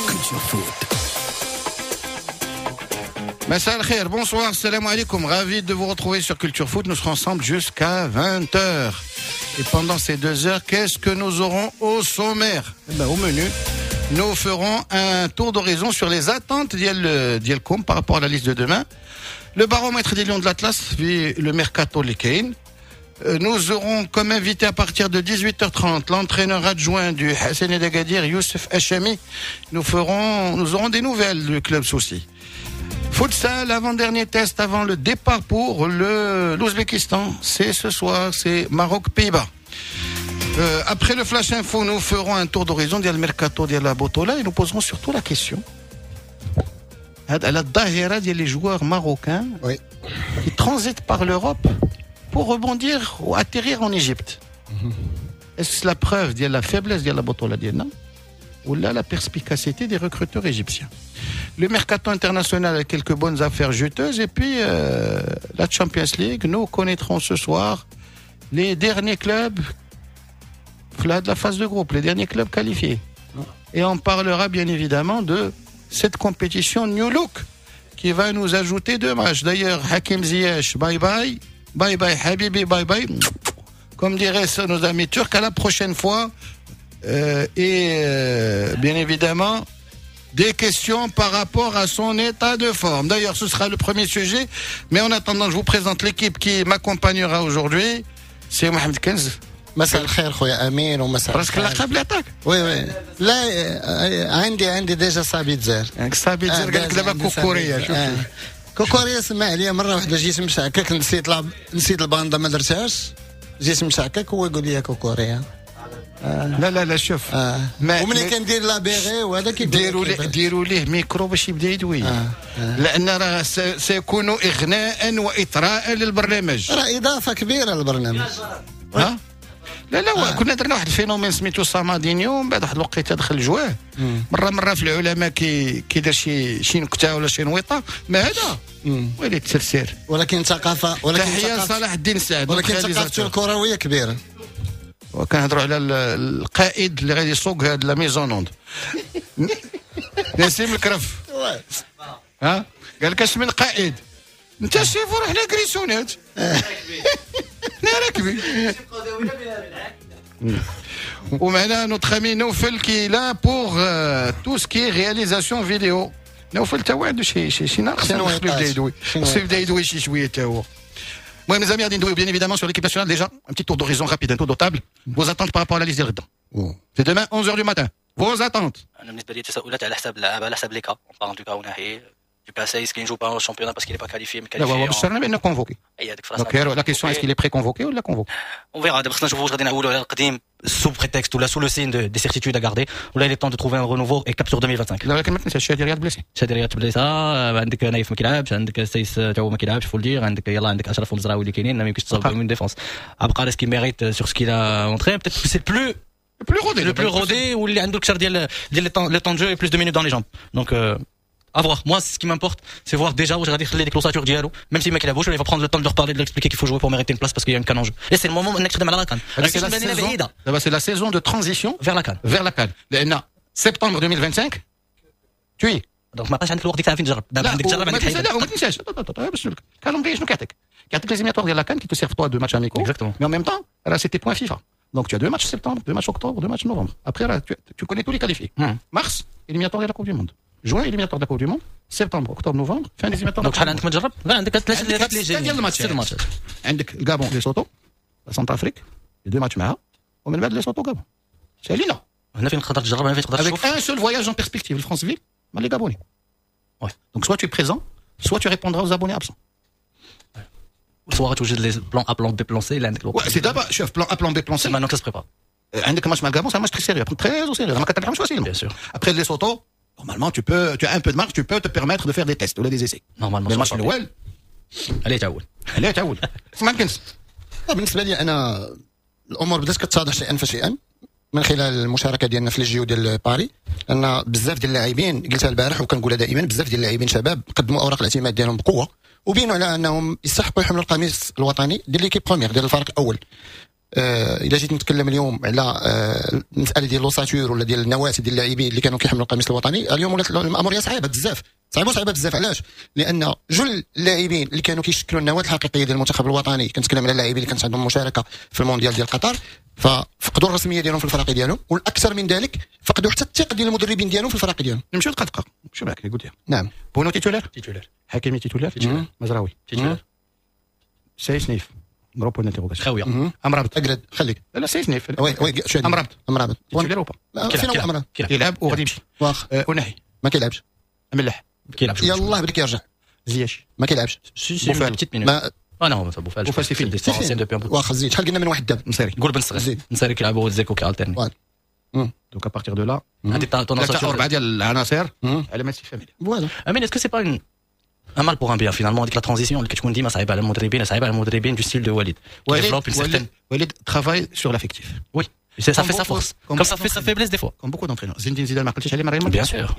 Culture Foot. مساء الخير, bonsoir, السلام عليكم. Ravi de vous retrouver sur Culture Foot. Nous serons ensemble jusqu'à 20h. Et pendant ces 2 heures, qu'est-ce que nous aurons au sommaire? Eh ben, au menu, nous ferons un tour d'horizon sur les attentes ديالكم par rapport à la liste de demain. Le baromètre des Lions de l'Atlas, puis le mercato اللي كاين. Nous aurons comme invité à partir de 18h30 l'entraîneur adjoint du Hassania d'Agadir, Youssef Hachami. Nous aurons des nouvelles du club soussi. Futsal, avant-dernier test avant le départ pour le l'Ouzbékistan. C'est ce soir, c'est Maroc-Pays-Bas. Après le Flash Info, nous ferons un tour d'horizon ديال mercato ديال la Botola et nous poserons surtout la question على الظاهرة ديال les joueurs marocains qui transitent par l'Europe pour rebondir ou atterrir en Égypte. Est-ce la preuve ديال la faiblesse ديال la Botola ديالنا ولا la perspicacité des recruteurs égyptiens? Le mercato international a quelques bonnes affaires juteuses et puis la Champions League, nous connaîtrons ce soir les derniers clubs de la phase de groupe, les derniers clubs qualifiés. Et on parlera bien évidemment de cette compétition New Look qui va nous ajouter deux matchs. D'ailleurs, Hakim Ziyech, bye bye, bye bye حبيبي, bye bye. Comme diraient nos amis turcs, à la prochaine fois. Et bien évidemment, des questions par rapport à son état de forme. D'ailleurs, ce sera le premier sujet. Mais en attendant, je vous présente l'équipe qui m'accompagnera aujourd'hui. C'est Mohamed Kenz. مساء الخير خويا امين ومساء راسك الخير. اللقب اللي عطاك. oui oui، لا عندي déjà صابيتزر. صابيتزر، قال لك دابا عندي كوكوريا. صابيتزر. شوف. آه. كوكوريا سمع عليا مره واحده، جيت مشعكك، نسيت الباندا ما درتهاش، جيت مشعكك هو يقول لي كوكوريا. لا لا لا، شوف. وملي كندير la béret وهذا كيقول ديروا ليه ديروا ليه ميكرو باش يبدا يدوي لان راه سيكون اغناء واثراء للبرنامج. راه اضافه كبيره للبرنامج. ها لا لا، كنا درنا واحد ال phénomène سميتو سامادينيو، من بعد واحد الوقيته دخل جواه مره مره في العلماء كيدير شي نكته ولا شي نويطه، ما هذا ويلي التسرسير. ولكن ثقافه، ولكن تحيه ثقافة لصلاح الدين سعد. ولكن ثقافته الكرويه كبيره. وكنهضروا على القائد اللي غادي يسوق هاد la mise en onde، نسيم الكرف. ها قال لك اش من قائد انت شيفور، حنا كريسونات، حنا راكبين. ومعنا notre ami نوفل qui est là pour tout ce qui est réalisation vidéo. نوفل تا هو عنده شي ناقص. شي خصو يبدا يدوي. شي خصو يبدا يدوي شي شويه تا هو. Moi, mes amis, غادي ندويو bien évidemment sur l'équipe nationale. Déjà, un petit tour d'horizon rapide, un tour de table. Vos attentes par rapport à la liste ديال غدا. C'est demain, 11h du matin. Vos attentes. انا بالنسبه لي تساؤلات على حساب اللعابه، على حساب les cas. On parle du cas اوناحي، du cas سايس qui ne joue pas au championnat parce qu'il n'est pas qualifié, mais لا qualifié. هو بشرنا بانه convoqué. اي هذيك فراسنا. Donc la question, est-ce qu'il est pré-convoqué ولا convoqué? On verra. دابا خصنا نشوفوا واش غادي نعولوا على القديم sous prétexte ولا sous le signe des certitudes à garder ولا il est temps de trouver un renouveau et cap sur 2025. لا ولكن ما تنساش شادي رياض blessé. شادي رياض blessé، عندك نايف ما كيلعبش، عندك سايس تا هو ما كيلعبش، faut le dire. عندك يلا عندك اشرف ومزراوي اللي كاينين، ما يمكنش تصاوب une défense. عبقار, est-ce qu'il mérite sur ce qu'il a montré? Peut-être que c'est le plus plus rodé. Le plus rodé واللي عنده الكثر ديال les temps de jeu et plus de minutes dans les jambes, donc à voir. Moi, ce qui m'importe, c'est voir déjà واش غادي يخلي ديك l'ossature ديالو même si ما كيلعبوش، ولا il va prendre le temps de leur parler, de leur expliquer qu'il faut jouer pour mériter une place parce qu'il y a une CAN en jeu. Et c'est le moment انك تخدم على la CAN. C'est la saison, دابا c'est la saison de transition vers la CAN. Vers la CAN. لان septembre 2025 tu y es. Donc ما بقاش عندك الوقت ديك الساعه فين تجرب. دابا عندك تجرب، وما عندك تنسى حيد. لا وما تنساش باش نقول لك ال calendrier شنو كيعطيك؟ كيعطيك les éliminatoires ديال la CAN qui te servent toi de matchs amicaux. Exactement. Mais en même temps, là, c'était point FIFA. Donc tu as deux matchs septembre, deux matchs octobre, deux matchs novembre. Après, là, tu connais tous les qualifiés. Mars, éliminatoire de la Coupe du Monde. Juin, éliminatoire de la Coupe du Monde. Septembre, octobre, novembre, fin des éliminatoires. Donc شحال عندك ما تجرب؟ لا عندك ثلاثه عندك اللي ستة ديال الماتشات. ست الماتشات. عندك الكابون، ليسوتو، Centrafrique، les deux matchs معاها، ومن بعد ليسوتو، غابون. سالينا. هنا فين تقدر تجرب، هنا فين تقدر Avec تشوف. Un seul voyage en perspective, le Franceville, مع les Gabonais. Donc soit tu es présent, soit tu répondras aux abonnés absents. Soit توجد les plan A, plan B, plan C الا عندك الوقت. Ouais, c'est d'abord, chef, plan A, plan B, plan C. C'est maintenant que ça se prépare. عندك ماتش مع الغابون، c'est un match très sérieux, très au sérieux. ما كتلعبش facilement. Bien sûr. Après Lesotho, normalement, tu as un peu de marge, tu peux te permettre de faire des tests ou des essais. Normalement. Mais الماتش الاول عليه تعول. عليه تعول. اسمع كنز. بالنسبه لي انا الامور بدات كتتضح شيئا فشيئا من خلال المشاركه ديالنا في les JO ديال باري، لان بزاف ديال اللاعبين، قلتها البارح وكنقولها دائما، بزاف ديال اللاعبين شباب قدموا اوراق الاعتماد ديالهم بقوه وبينوا على انهم يستحقوا يحملوا القميص الوطني ديال l'équipe première، ديال الفريق الاول. الا جيت نتكلم اليوم على المسالة ديال l'ossature ولا ديال النواة ديال اللاعبين اللي كانوا كيحملوا القميص الوطني، اليوم ولات الامور صعيبة بزاف، صعيبة صعيبة بزاف. علاش؟ لان جل اللاعبين اللي كانوا كيشكلوا النواة الحقيقية ديال المنتخب الوطني، كنتكلم على اللاعبين اللي كانت عندهم مشاركة في المونديال ديال قطر، ففقدوا الرسمية ديالهم في الفرق ديالهم، والاكثر من ذلك فقدوا حتى الثقة ديال المدربين ديالهم في الفرق ديالهم. نمشيو دقه دقه، نمشيو معاك قلت. نعم. بونو titulaire؟ titulaire. حكيمي titulaire؟ titulaire. مزراوي؟ titulaire. سايس نيف gros point d'interrogation. خاوية. امرابط. اقرد خليك. لا، سايس نيف. oui oui، شو؟ امرابط. امرابط. titulaire ou pas؟ فين هو امرابط؟ كيلعب وغادي يمشي. واخ. اوناحي؟ ما كيلعبش. ملاح؟ كيلعب. يلاه بدا كيرجع. زياش؟ ما كيلعبش. si si، petites minutes. اه non، بوفال. بوفال c'est fini. واخا زيد، شحال قلنا من واحد دابا؟ نصيري. قول بن صغير. زيد. نصيري كيلعب هو زيكو كي alterner. donc à partir de là هذه ثلاثة اربعة ديال العناصر على ما استفهم. voilà. امين، est-ce que c'est pas un mal pour un bien finalement هذيك la transition اللي كتكون ديما صعيبة على المدربين، صعيبة على المدربين du style de وليد؟ وليد وليد travaille sur l'effectif. oui، ça fait sa force comme ça fait sa faiblesse des fois. comme beaucoup d'entraîneurs. Zinedine Zidane ما قلتيش عليه مرة. Bien sûr.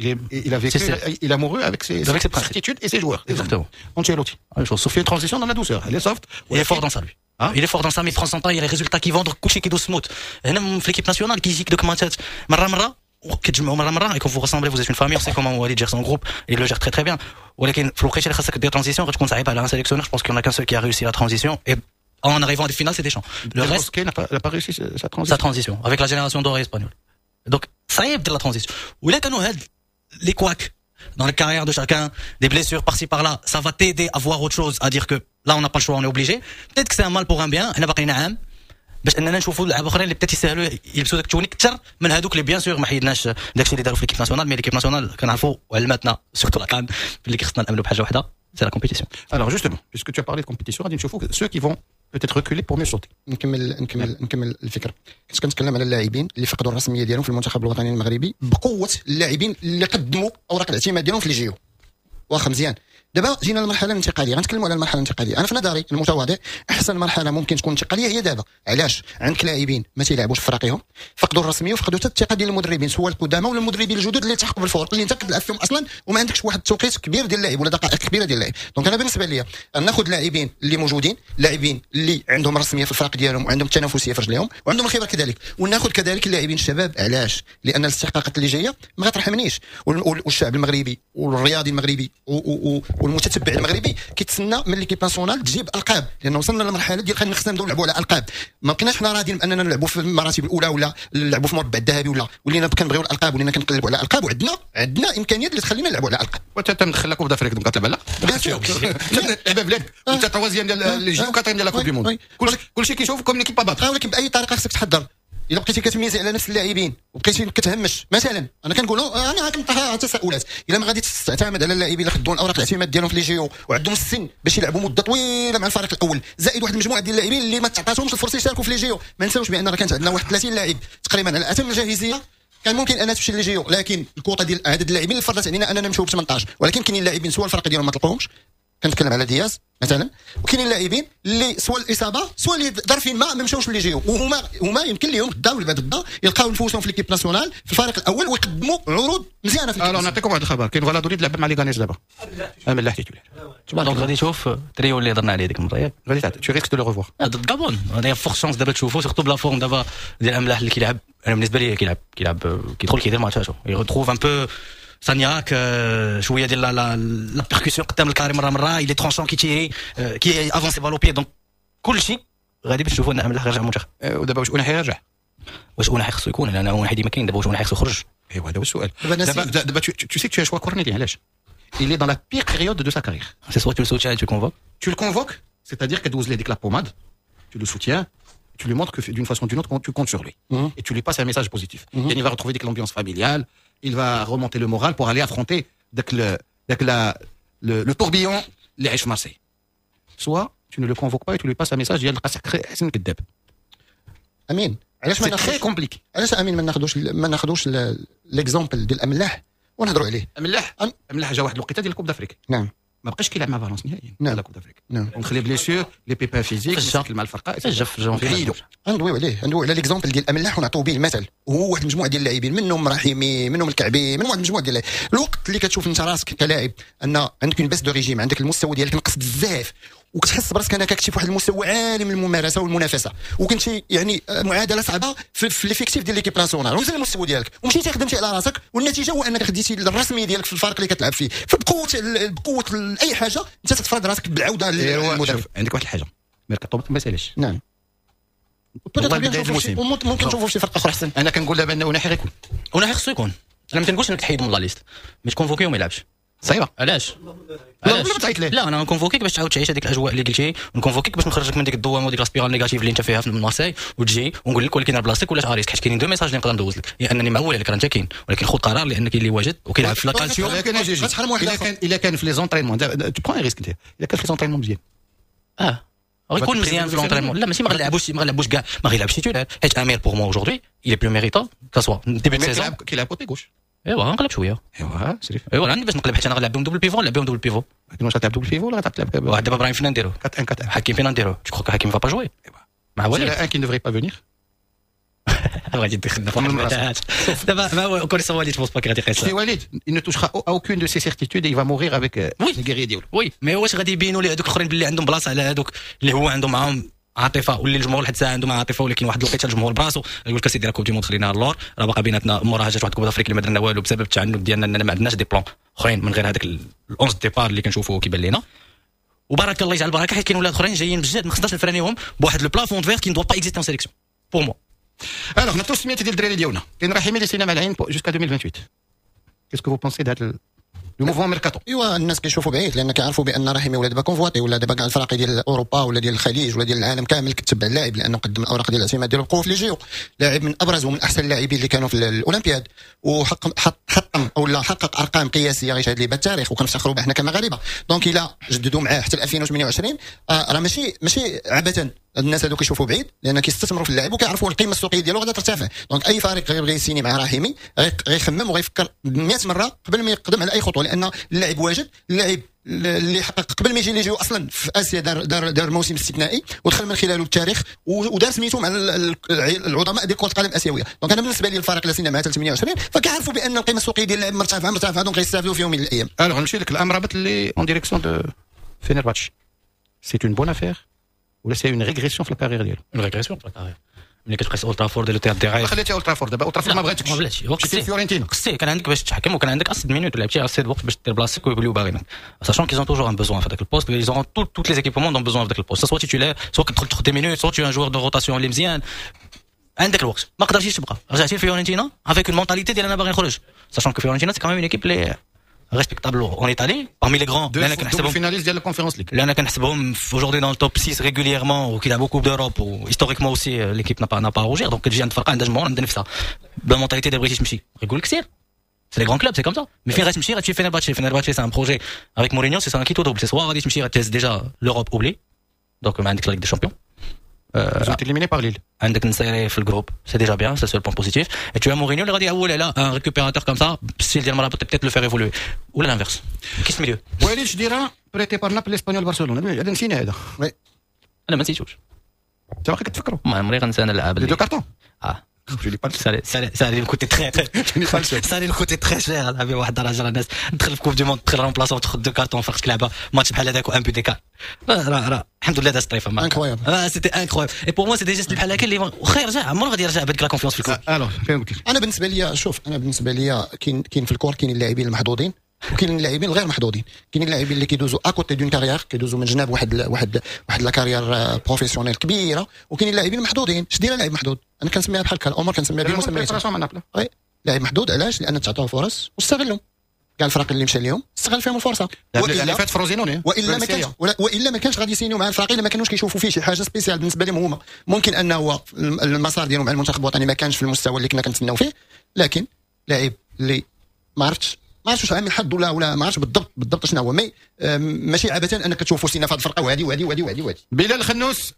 Il a vécu, il a mouru avec ses, avec ses certitudes et ses joueurs. Exactement. Ancelotti. Sauf une transition dans la douceur. Elle est soft. Il est fort dans ça lui. Hein؟ Il est fort dans ça, mais il prend son temps, il y a les résultats qui vont, donc كلشي كيدوز smooth. هنا في l'équipe nationale كيجيك دوك ماتشات مرة مرة كتجمعوا مرة مرة et quand vous ressemblez، vous êtes une famille، on sait comment Walid gère son groupe et il le gère très très bien. ولكن في الوقيته اللي خاصك دير transition غتكون صعيبة على un sélectionneur. je pense qu'il y en a qu'un seul qui a réussi la transition et en arrivant à des finales، c'est Deschamps. Le reste n'a pas réussi sa transition. Sa transition avec la génération dorée espagnole. Donc صعيب دير la transition. ولا كانوا هاد les couacs dans la carrière de chacun، des blessures par-ci par-là، ça va t'aider à voir autre chose، à dire que là on n'a pas le choix، on est obligé. Peut-être que c'est un mal pour un bien. حنا باقيين عام باش اننا نشوفوا لعابه اخرين اللي peut-être يسهلوا يلبسوا داك ال tenue اكثر من هذوك اللي bien sûr ما حيدناش داكشي اللي داروا في l'équipe nationale، mais l'équipe nationale كنعرفوا وعلمتنا surtout la CAN اللي خصنا نامنوا بحاجة واحده، c'est la compétition. Alors justement، puisque tu as parlé de compétition، غادي نشوفوا ceux qui vont peut-être reculer pour mieux sauter. نكمل نكمل نكمل الفكره. كنت كنتكلم على اللاعبين اللي فقدوا الرسمية ديالهم في المنتخب الوطني المغربي بقوة اللاعبين اللي قدموا اوراق الاعتماد ديالهم في les JO. واخا مزيان، دابا جينا للمرحلة الانتقاليه، غنتكلموا على المرحلة الانتقاليه. انا في نظري المتواضع احسن مرحلة ممكن تكون انتقالية هي دابا. علاش؟ عندك لاعبين ما تيلعبوش في فريقهم، فقدوا الرسمية وفقدوا حتى الثقة ديال المدربين، سواء القدامى ولا المدربين الجدد اللي التحقوا بالفرق اللي انت كتلعب فيهم اصلا، وما عندكش واحد التوقيت كبير ديال اللاعب ولا دقائق كبيرة ديال اللاعب. donc انا بالنسبة لي ناخذ لاعبين اللي موجودين، لاعبين اللي عندهم رسمية في الفرق ديالهم وعندهم التنافسية في رجليهم وعندهم الخبرة كذلك، وناخذ كذلك اللاعبين الشباب. علاش؟ لان الاستحقاقات اللي جاية ما غترحمنيش، والشعب المغربي والرياضي المغربي والمتتبع المغربي كيتسنى من l'équipe nationale تجيب القاب، لان وصلنا لمرحلة ديال خصنا نبداو نلعبوا على القاب. ما بقيناش حنا راضيين باننا نلعبوا في المراتب الاولى ولا نلعبوا في المربع الذهبي، ولا ولينا كنبغيو الالقاب، ولينا كنقلبوا على الالقاب، وعندنا امكانيات اللي تخلينا نلعبوا على الالقاب. وانت تمدخل la Coupe d'Afrique، donc كتلعب على bien sûr. لعبه بلادك وانت troisième ديال les JO، quatrième ديال la Coupe du monde، كلشي كيشوف comme l'équipe à battre. ولكن باي طريقه خصك تحضر. الا بقيتي كتميزي على نفس اللاعبين وبقيتي كتهمش مثلا، انا كنقولوا انا كنطرح تساؤلات، الا ما غادي تعتمد على اللاعبين اللي خدوا الاوراق الاعتماد ديالهم في les JO وعندهم السن باش يلعبوا مده طويلة مع الفريق الاول، زائد واحد المجموعة ديال اللاعبين اللي ما تعطاتهمش الفرصة يشاركوا في les JO. ما نساوش بان راه كانت عندنا واحد 30 لاعب تقريبا على اتم الجاهزيه كان ممكن انها تمشي les JO، لكن الكوطه ديال عدد اللاعبين اللي فرضت علينا اننا نمشيو ب 18. ولكن كاينين لاعبين سواء الفرق ديالهم ما طلقوهمش، كنتكلم على دياز مثلا، وكاينين لاعبين اللي سواء الاصابة سواء اللي ظرف ما ما مشاوش les JO، وهما يمكن لهم غدا ولا بعد غدا يلقاو نفوسهم في l'équipe nationale في الفريق الاول ويقدموا عروض مزيانه في alors نعطيكم واحد الخبر، كاين فالادوليد لعب مع ليغانيس دابا، املاح titulaire. donc غادي تشوف تريو اللي هضرنا عليه ديك المرة، ياك؟ غادي tu risques de le revoir. ضد غابون هذا forte chance دابا تشوفو، surtout ب la forme دابا ديال املاح اللي كيلعب. انا بالنسبة لي كيلعب كيدخل كيدير ماتشاتو، il retrouve un peu sa niaque، شوية ديال la percussion قدام ال carré مرة مره، il est tranchant، كيتيري، كي avancer balle au pied، donc كلشي غادي باش تشوفوا ان املاح غيرجع المنتخب. ودابا واش اوناحي يرجع؟ واش اوناحي خصو يكون؟ لان اوناحي ديما كاين. دابا واش اوناحي خصو يخرج؟ ايوا هذا هو السؤال دابا. tu sais que tu as choix cornélien. علاش؟ il est dans la pire période de sa carrière. C'est soit tu le soutiens et tu le convoques. Tu le convoques، c'est-à-dire كدوز ليه ديك la pommade، tu le soutiens، tu lui montres que d'une façon ou d'une autre tu comptes sur lui et tu lui passes un message positif. يعني il va retrouver ديك l'ambiance familiale، il va remonter le moral pour aller affronter داك le tourbillon اللي عايش في مارسي. soit tu ne le convoques pas et tu lui passes un message ديال حسن كذاب. امين، علاش ما très compliqué. علاش امين ما ناخذوش l'exemple ديال املاح ونهضروا عليه؟ املاح جا واحد الوقيته ديال ال Coupe d'Afrique. ما بقاش كيلعب مع فالونس نهائيا. la Coupe d'Afrique. ونخلي blessures، les pépins physiques، مشاكل مع الفرقه. في ندويو عليه، ندويو على l'exemple ديال املاح ونعطيو به المثل، وهو واحد المجموعة ديال اللاعبين، منهم رحيمي، منهم الكعبي، من واحد المجموعة ديال الوقت اللي كتشوف انت راسك كلاعب ان عندك une baisse de régime، عندك المستوى ديالك نقص بزاف. وكتحس براسك انك كنتي في واحد المستوى عالي من الممارسة والمنافسه، وكنتي يعني معادلة صعبة في l'effectif ديال l'équipe nationale، ونزل المستوى ديالك ومشيتي خدمتي على راسك، والنتيجة هو انك خديتي الرسمية ديالك في الفريق اللي كتلعب فيه. فبقوه اي حاجة انت تفرض راسك بالعودة للمدرب. عندك واحد الحاجة، ميركاتو ما سالش. نعم، ممكن نشوفوا شي فرقه اخرى احسن. انا كنقول دابا انه اوناحي غيكون، اوناحي خصو يكون. انا ما تنقولش انك تحيد من la liste، mais ت convoquer وما يلعبش. صعيبة. علاش؟ لا تعيط ليه؟ لا، انا ن convoquer ك باش تعاود تعيش هذيك الاجواء اللي قلتي، ن convoquer ك باش نخرجك من ديك الدوامة وديك la spirale négative اللي انت فيها في مارساي، وتجي ونقول لك ولكن بلاصتك ولات à risque، حيت كاينين deux messages اللي نقدر ندوز لك، يا انني معول عليك راه انت كاين، ولكن خذ قرار لانك اللي واجد وكيلعب في la Calcio. الا كان في les entraînements، tu prends risque انت، الا كان في les entraînements مزيان. غيكون مزيان في l'entraînement. لا، ماشي ما غنلعبوش، ما غنلعبوش كاع، ما غيلعبش titulaire، حيت امير pour moi aujourd'hui il est plus méritant que ce soit début de saison. كيلعب côté gauche. ايوا غنقلب شويه. ايوا شريف. ايوا عندي باش نقلب، حيت انا غنلعب بهم double pivot، نلعب بهم double pivot. لكن واش غتلعب double pivot ولا غتلعب واحد؟ دابا ابراهيم فين نديرو؟ 4 1 4 1. حكيم فين نديرو؟ tu crois حكيم va pas jouer مع وليد؟ un qui ne devrait pas venir. غادي تدخلنا في واحد المتاهات دابا. ما هو كوريسا وليد، pense pas غادي يقيس. سي وليد il ne touchera aucune de ses certitudes et il va mourir avec les guerriers ديالو. oui، mais واش غادي يبينوا لي هذوك الاخرين باللي عندهم بلاصة على هذوك اللي هو عندهم معاهم عاطفة واللي الجمهور لحد الساعة عنده مع عاطفه؟ ولكن واحد الوقيته الجمهور براسو يقول لك سيدي راه Coupe du Monde خلينا اللور، راه باقا بيناتنا موراها جات واحد Coupe d'Afrique اللي ما درنا والو بسبب التعنت ديالنا، اننا ما عندناش des plans اخرين من غير هذاك ال 11 départ اللي كنشوفوه كيبان لينا. وبارك الله يجعل البركه، حيت كاين ولاد اخرين جايين بجد، ما خصناش نفرانيهم بواحد le plafond de verre qui doit pas exister en sélection pour moi. alors نعطيو السميات ديال الدراري ديالنا. كاين رحيمي اللي سينا مع العين jusqu'à 2028. qu'est-ce que vous pensez de le mouvement mercato؟ ايوا الناس كيشوفوا بعيد، لان كيعرفوا بان رحيمي ولا دابا convoité، ولا دابا كاع الفرق ديال اوروبا ولا ديال الخليج ولا ديال العالم كامل كتبع اللاعب، لانه قدم الاوراق ديال الاعتماد ديالو بقوة في les JO. لاعب من ابرز ومن احسن اللاعبين اللي كانوا في الاولمبياد، وحقق حطم او لا حقق ارقام قياسية غيشهد لي بالتاريخ، وكنفتخروا به حنا كمغاربه. donc الى جددوا معاه حتى 2028 راه ماشي عبثا. الناس هذو كيشوفوا بعيد لان كيستثمروا في اللاعب وكيعرفوا القيمة السوقية ديالو غادا ترتفع. donc اي فريق غيبغي يسيني مع رحيمي غيخمم وغيفكر 100 مرة قبل ما يقدم على اي خطوه، لان اللاعب واجد، اللاعب اللي حقق قبل ما يجي les JO اصلا في اسيا دار موسم استثنائي ودخل من خلاله التاريخ ودار سميتو مع العظماء ديال كره القدم الاسيويه. donc انا بالنسبة لي الفريق اللي سينا مع 28 فكيعرفوا بان القيمة السوقية ديال اللاعب مرتفعة مرتفعه، donc غيستافدوا فيهم من الايام. alors نمشي لك الامرابط اللي en direction de فينيرباتش، c'est une bonne affaire ولا c'est une régression في ال carrière ديالو؟ une régression في ال carrière ملي كتقيس اولد ترافورد اللي تيضيع. خليتي اولد ترافورد، دابا اولد ترافورد ما بغاتكش. ما بلاتش. مشيتي فيورنتينا. قصتي كان عندك باش تحكم وكان عندك assez minutes، لعبتي assez الوقت باش دير بلاصتك ويوليو باغينك، sachant qu'ils ont toujours un besoin في هذاك ال poste، ils ont toutes les équipes au monde ont besoin في ذاك ال poste، soit titulaire، soit كتدخل تاخذ des minutes، soit tu es un joueur de rotation اللي مزيان. عندك الوقت، ما قدرتيش تبقى، رجعتي فيورنتينا avec une mentalité ديال انا باغي نخرج، sachant que فيورنتينا c'est quand même une équipe اللي respectable en Italie parmi les grands. لان كنحسبهم finaliste ديال ال Conference League. لان كنحسبهم aujourd'hui dans le top 6 régulièrement وكيلعبوا Coupe d'Europe و historiquement aussi l'équipe n'a pas à rougir. donc كتجي عند فرقه عندها جمهور، عندها نفسها ب la mentalité ديال بغيتي تمشي، يقول لك سير، c'est les grands clubs، c'est comme ça. mais فين غتمشي؟ غتمشي فينيرباتشي. فينيرباتشي c'est un projet avec Mourinho، c'est un quitte ou double، c'est soit غادي تمشي غتهز déjà l'Europe oublie، donc ما عندك la Ligue des Champions. Ils ont été éliminés par Lille. عندك نصيري في ال groupe، c'est déjà bien، c'est seul point positif. et tu as مورينيو اللي غادي يعول على un récupérateur comme ça style ديال مرابط، peut-être le faire évoluer ولا l'inverse كيس milieu. وليد شديره prêté par نابل، اسبانيول، برشلونه، هذا نسينا هذا. انا ما نسيتوش. انت باقي كتفكروا؟ ما عمري غنسى انا اللعاب. les deux cartons. اه. Je l'ai pas. ça allait me coûter très ça allait me coûter très cher. لعبي واحد الدرجه، الناس دخل في Coupe du Monde، دخل remplaçant، تاخذ deux cartons، فرقتك لعبه ماتش بحال هذاك و un but d'écart. راه الحمد لله دازت طريفه. incroyable. c'était incroyable et pour moi c'est des gestes بحال هكا اللي واخا يرجع عمره غادي يرجع بهذيك la confiance في ال club. alors فين قلت لك؟ انا بالنسبة لي، شوف، انا بالنسبة لي كاين في الكور كاين اللاعبين المحظوظين وكاين اللاعبين الغير محظوظين. كاين اللاعبين اللي كيدوزوا à côté d'une carrière، كيدوزوا من جناب واحد la carrière professionnelle كبيره، وكاين اللاعبين المحظوظين. اش دير لاعب محظوظ؟ انا كنسميها بحال هكا الامور، كنسميها بمسميات. oui، لاعب محظوظ علاش؟ لان تعطوه فرص واستغلهم. كاع الفرق اللي مشى لهم استغل فيهم الفرصه. والا فات فروزينوني. والا ما كانش غادي يسينيو مع الفريق الا ما كانوش كيشوفوا فيه شي حاجة spéciale بالنسبة لهم هما. ممكن انه هو المسار ديالو مع المنتخب الوطني ما كانش في المستوى اللي كنا كنتسناو فيه، لكن لاعب اللي ما عرفتش واش عامل حد ولا ما عرفتش بالضبط بالضبط شنو هو، mais ماشي عبثا انك تشوفوا سينا في هذه الفرقة وهذه وهذه وهذه وهذه وهذه. بلال خنوس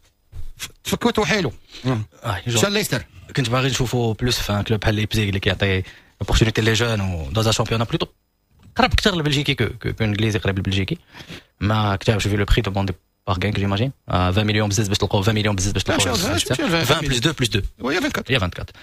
تفكوت وحيلو مشى ليستر. كنت باغي نشوفو plus في un club بحال ليبزيغ اللي كيعطي opportunité les jeunes و dans un championnat plutôt قرب اكثر للبلجيكي que انجليزي، قريب للبلجيكي. ما كتبش في le prix demandé par Genk j'imagine 20 مليون بزز باش تلقاو، 20 مليون بزز باش تلقاو. 20 plus 2 plus 2. oui، 24. هي 24.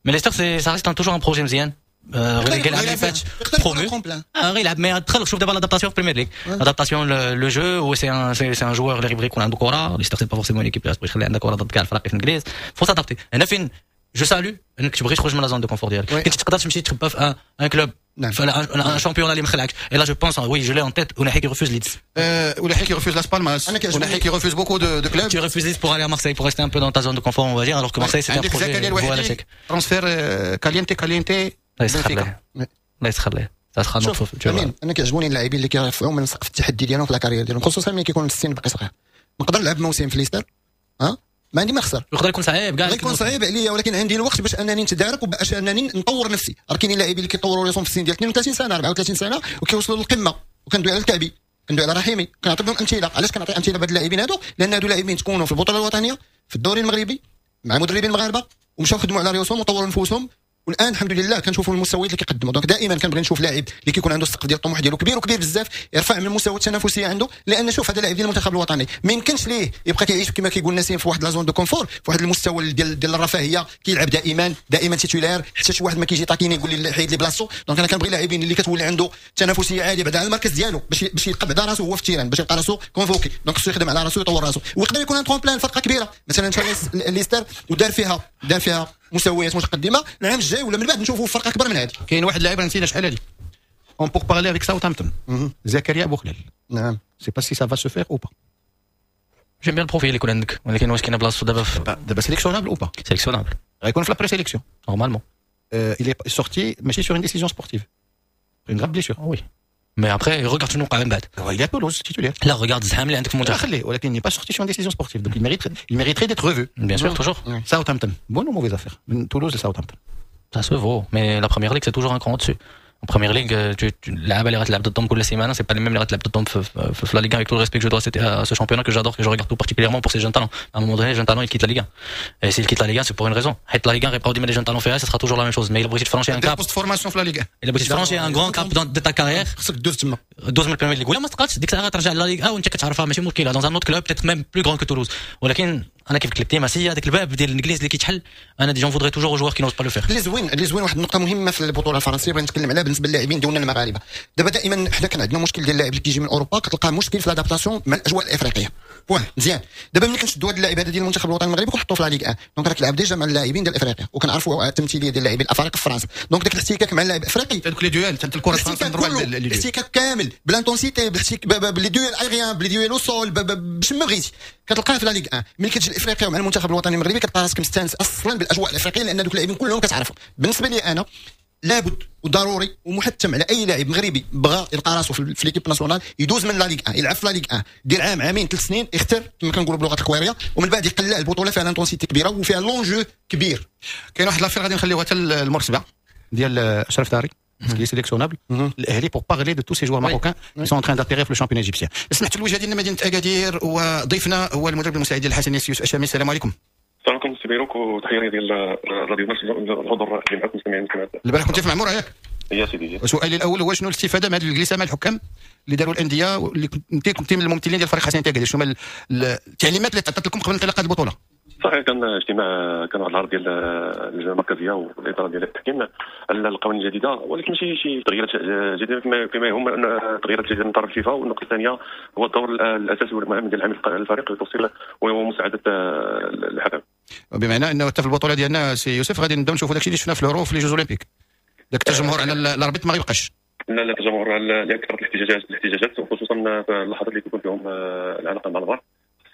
mais ليستر c'est ça reste toujours un projet مزيان. غير العام اللي فات promu غير يلعب، mais دخل شوف دابا l'adaptation في Premier League، adaptation le jeu، و c'est un joueur اللي غيبغي يكون عنده كره. ليستر c'est pas forcément l'équipe اللي تبغي تخلي عندها كره ضد كاع الفرق في الانجليز، faut s'adapter. هنا فين je salue انك تبغي تخرج من la zone de confort ديالك. كنت تقدر تمشي تخبى في un club، في un championnat اللي مخلعك. et là je pense، oui، je l'ai en tête، اوناحي qui refuse Leeds. اوناحي qui refuse Las Palmas، اوناحي qui refuse beaucoup de clubs. Tu refuses Leeds pour aller à Marseille، pour rester un peu dans ta zone de confort، on va dire، alors que Marseille، c'était un projet voué à l'échec. Transfert caliente caliente. الله يسخر ليه، الله يسخر ليه. شوف امين، انا كيعجبوني اللاعبين اللي كيرفعوا من سقف التحدي ديالهم في la carrière ديالهم، خصوصا ملي كيكون السن باقي صغير. نقدر نلعب موسم في ليستر، ها ما عندي ما نخسر. يقدر يكون صعيب كاع، يكون صعيب عليا، ولكن عندي الوقت باش انني نتدارك وباش انني نطور نفسي. راه كاينين لاعبين اللي كيطوروا راسهم في السن ديال 32 سنه، 34 سنه، وكيوصلوا للقمه. وكندوي على الكعبي، كندوي على رحيمي، كنعطي لهم امثله. علاش كنعطي امثلة بهاد اللاعبين هادو؟ لان هادو لاعبين تكونوا في البطولة الوطنيه، في الدوري المغربي، مع مدربين مغاربه، ومشاو خدموا على ريوسهم وطوروا نفوسهم، والان الحمد لله كنشوفوا المستويات اللي كيقدموا. donc دائما كنبغي نشوف لاعب اللي كيكون عنده السقف ديال الطموح ديالو كبير وكبير بزاف، يرفع من المستوى التنافسية عنده. لان شوف، هذا لاعب ديال المنتخب الوطني ما يمكنش ليه يبقى كيعيش كما كيقول نسيم في واحد la zone de confort، في واحد المستوى ديال الرفاهيه، كيلعب دائما دائما titulaire، حتى شي واحد ما كيجي taquiner يقول لي حيد لي بلاصتو. donc انا كنبغي لاعبين اللي كتولي عنده تنافسية عالية بعدا على المركز ديالو، باش يلقى بعدا راسو هو في ال terrain، باش يلقى راسو convoqué. donc خصو يخدم على راسو، يطور راسو، ويقدر يكون un tremplin فرقه كبيره. مثلا مشى ليستر ودار فيها مستويات متقدمه، العام الجاي ولا من بعد نشوفوا فرقه اكبر من هذه. كاين واحد اللاعب نسينا شحال هذه en pourparlers avec Southampton، زكريا بوخلال. Sais pas si ça va se faire ou pas. J'aime bien ال profil اللي يكون عندك، ولكن واش كاينه بلاصتو دابا؟ دابا sélectionnable ou pas؟ Sélectionnable. غيكون في la présélection. Normalement. Il est sorti ماشي sur une décision sportive، une grave blessure. Oui، mais après regarde شنو وقع من بعد. Il est à Toulouse titulaire. لا، regarde الزحام اللي عندك في المنتخب. خليه، ولكن n'est pas sorti sur une décision sportive، donc il mériterait d'être revu. Bien sûr، toujours. Southampton، bonne ou mauvaise affaire من تولوز لساوثهامبتون؟ Ça se vaut، mais la Premier League، c'est toujours un cran au-dessus. En Premier League، اللعابه اللي غتلعب ضدهم كل سيمانه، c'est pas les mêmes اللي غتلعب ضدهم في la Ligue 1، avec tout le respect que je dois à ce championnat que j'adore، que je regarde tout particulièrement pour ces jeunes talents. À un moment donné، les jeunes talents، ils quittent la Ligue 1. Et s'ils quittent la Ligue 1، c'est pour une raison. حيت la Ligue 1 غيبقاو ديما les jeunes talents فيها، ça sera toujours la même chose. Mais الا بغيتي ت franchir un cap، poste formation في la Ligue. الا بغيتي ت franchir un grand cap de ta carrière، خصك دوز تما. دوز من ال Premier League، ولا ما تقدش ديك الساعة غترجع la Ligue 1 وانت كتعرفها، ماشي مشكله، dans un autre club peut-être même plus grand que Toulouse. ولكن انا كيف قلت لك ديما، c'est هذاك الباب ديال الانجليز اللي كيتحل، انا j'en voudrais toujours aux joueurs qui n'osent pas le faire. اللي زوين، واحد النقطة مهمة في البطولة الفرنسية بغيت نتكلم عليها بالنسبة للاعبين ديالنا المغاربه. دابا دائما حنا كان عندنا مشكل ديال اللاعب اللي كيجي من اوروبا، كتلقى مشكل في l'adaptation مع الاجواء الافريقيه. واه مزيان، دابا ملي كنشدوا هذا اللاعب هذا ديال المنتخب الوطني المغربي كنحطوه في la Ligue 1، donc راك تلعب déjà مع اللاعبين ديال افريقيا، وكنعرفوا التمثيلية ديال اللاعبين الافارقة في فرنسا، donc داك الاحتكاك مع اللاعب الافريقي، دوك les duels، حتى الكره. الاحتكاك كله، الاحتكاك كامل ب l'intensité، ب les duels aériens، ب les duels au sol، باش ما بغيتي كتلقاه في la Ligue 1. ملي كتجي لافريقيا مع المنتخب الوطني المغربي، كتلقى راسك مستانس اصلا بالاجواء الافريقيه، لان دوك اللاعبين كلهم كتعرفهم. بالنسبة لي انا، لابد وضروري ومحتم على اي لاعب مغربي بغى يلقى راسه في l'équipe nationale يدوز من la Ligue 1، يلعب في la Ligue 1، دير عام، عامين، 3 سنين، يختار كما كنقولوا بلغه الكويريه، ومن بعد يقلع البطولة فيها l'intensité كبيرة وفيها l'enjeu كبير. كاين واحد l'affaire غادي نخليوها حتى المور 7 ديال اشرف داري qui est sélectionnable الاهلي، pour parler de tous ces joueurs marocains qui sont en train d'atterrir في le championnat égyptien. سمحت، الوجهة ديالنا مدينة اكادير، وضيفنا هو المدرب المساعد ديال الحسنيه يوسف الشامي. السلام عليكم. السلام عليكم سي بيروك، وتحية ديال راديو مارس، الحضور اللي معكم، المستمعين والمستمعات. البارح كنت في معموره، ياك؟ يا سيدي. سؤالي الاول هو شنو الاستفادة من هذه الجلسة مع الحكام اللي داروا الانديه، واللي كنت من الممثلين ديال فريق حسنيه اكادير؟ شنو هما التعليمات اللي تعطات لكم قبل انطلاق هذه البطولة؟ صحيح، كان اجتماع، كان واحد العرض ديال اللجنة المركزية والادارة ديال التحكيم على القوانين الجديده، ولكن ماشي شي تغييرات جديدة فيما يهم ان تغييرات جديدة من طرف الفيفا. والنقطة الثانية هو الدور الاساسي والمهم ديال عامل الفريق لتوصيل ومساعدة الحكم. بمعنى انه حتى في البطولة ديالنا سي يوسف غادي نبداو نشوفوا داكشي اللي شفنا في l'Euro، في les Jeux Olympiques، داك التجمهر على l'arbitre ما غيبقاش. لا لا، التجمهر كثرة الاحتجاجات، وخصوصا في اللحظات اللي كيكون فيهم العلاقة مع الفار.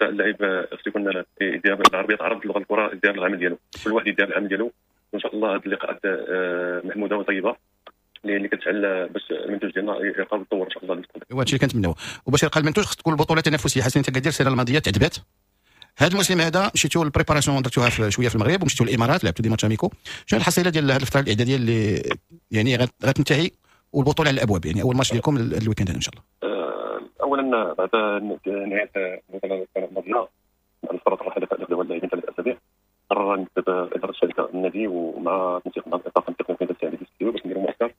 اللاعب خصو يكون يدير، بالعربية تعرف اللغة الكره، يدير العمل ديالو، كل واحد يدير العمل ديالو. وان شاء الله هذه اللقاءات محمودة وطيبة اللي كتجعل باش المنتوج ديالنا يبقى يتطور ان شاء الله المستقبل. وهادشي اللي كنتمناو، وباش يلقى المنتوج خص تكون البطولة تنافسيه. حسنيه اكادير السنة الماضية تعذبات، هذا الموسم هذا مشيتوا ال préparation درتوها في شوية في المغرب ومشيتوا للامارات لعبتوا des matchs amicaux. شنو الحصيلة ديال هذه الفترة الاعدادية اللي يعني غتنتهي والبطوله على الابواب، يعني اول ماتش ديالكم ال week-end ان شاء الله؟ اولا، بعد نهاية البطولة السنة الماضيه، بعد فترة الراحة اللي خداوها اللاعبين 3 اسابيع، قرر مكتب ادارة الشركة النادي ومع تنسيق مع الطاقم التقني التاع باش نديروا معسكر،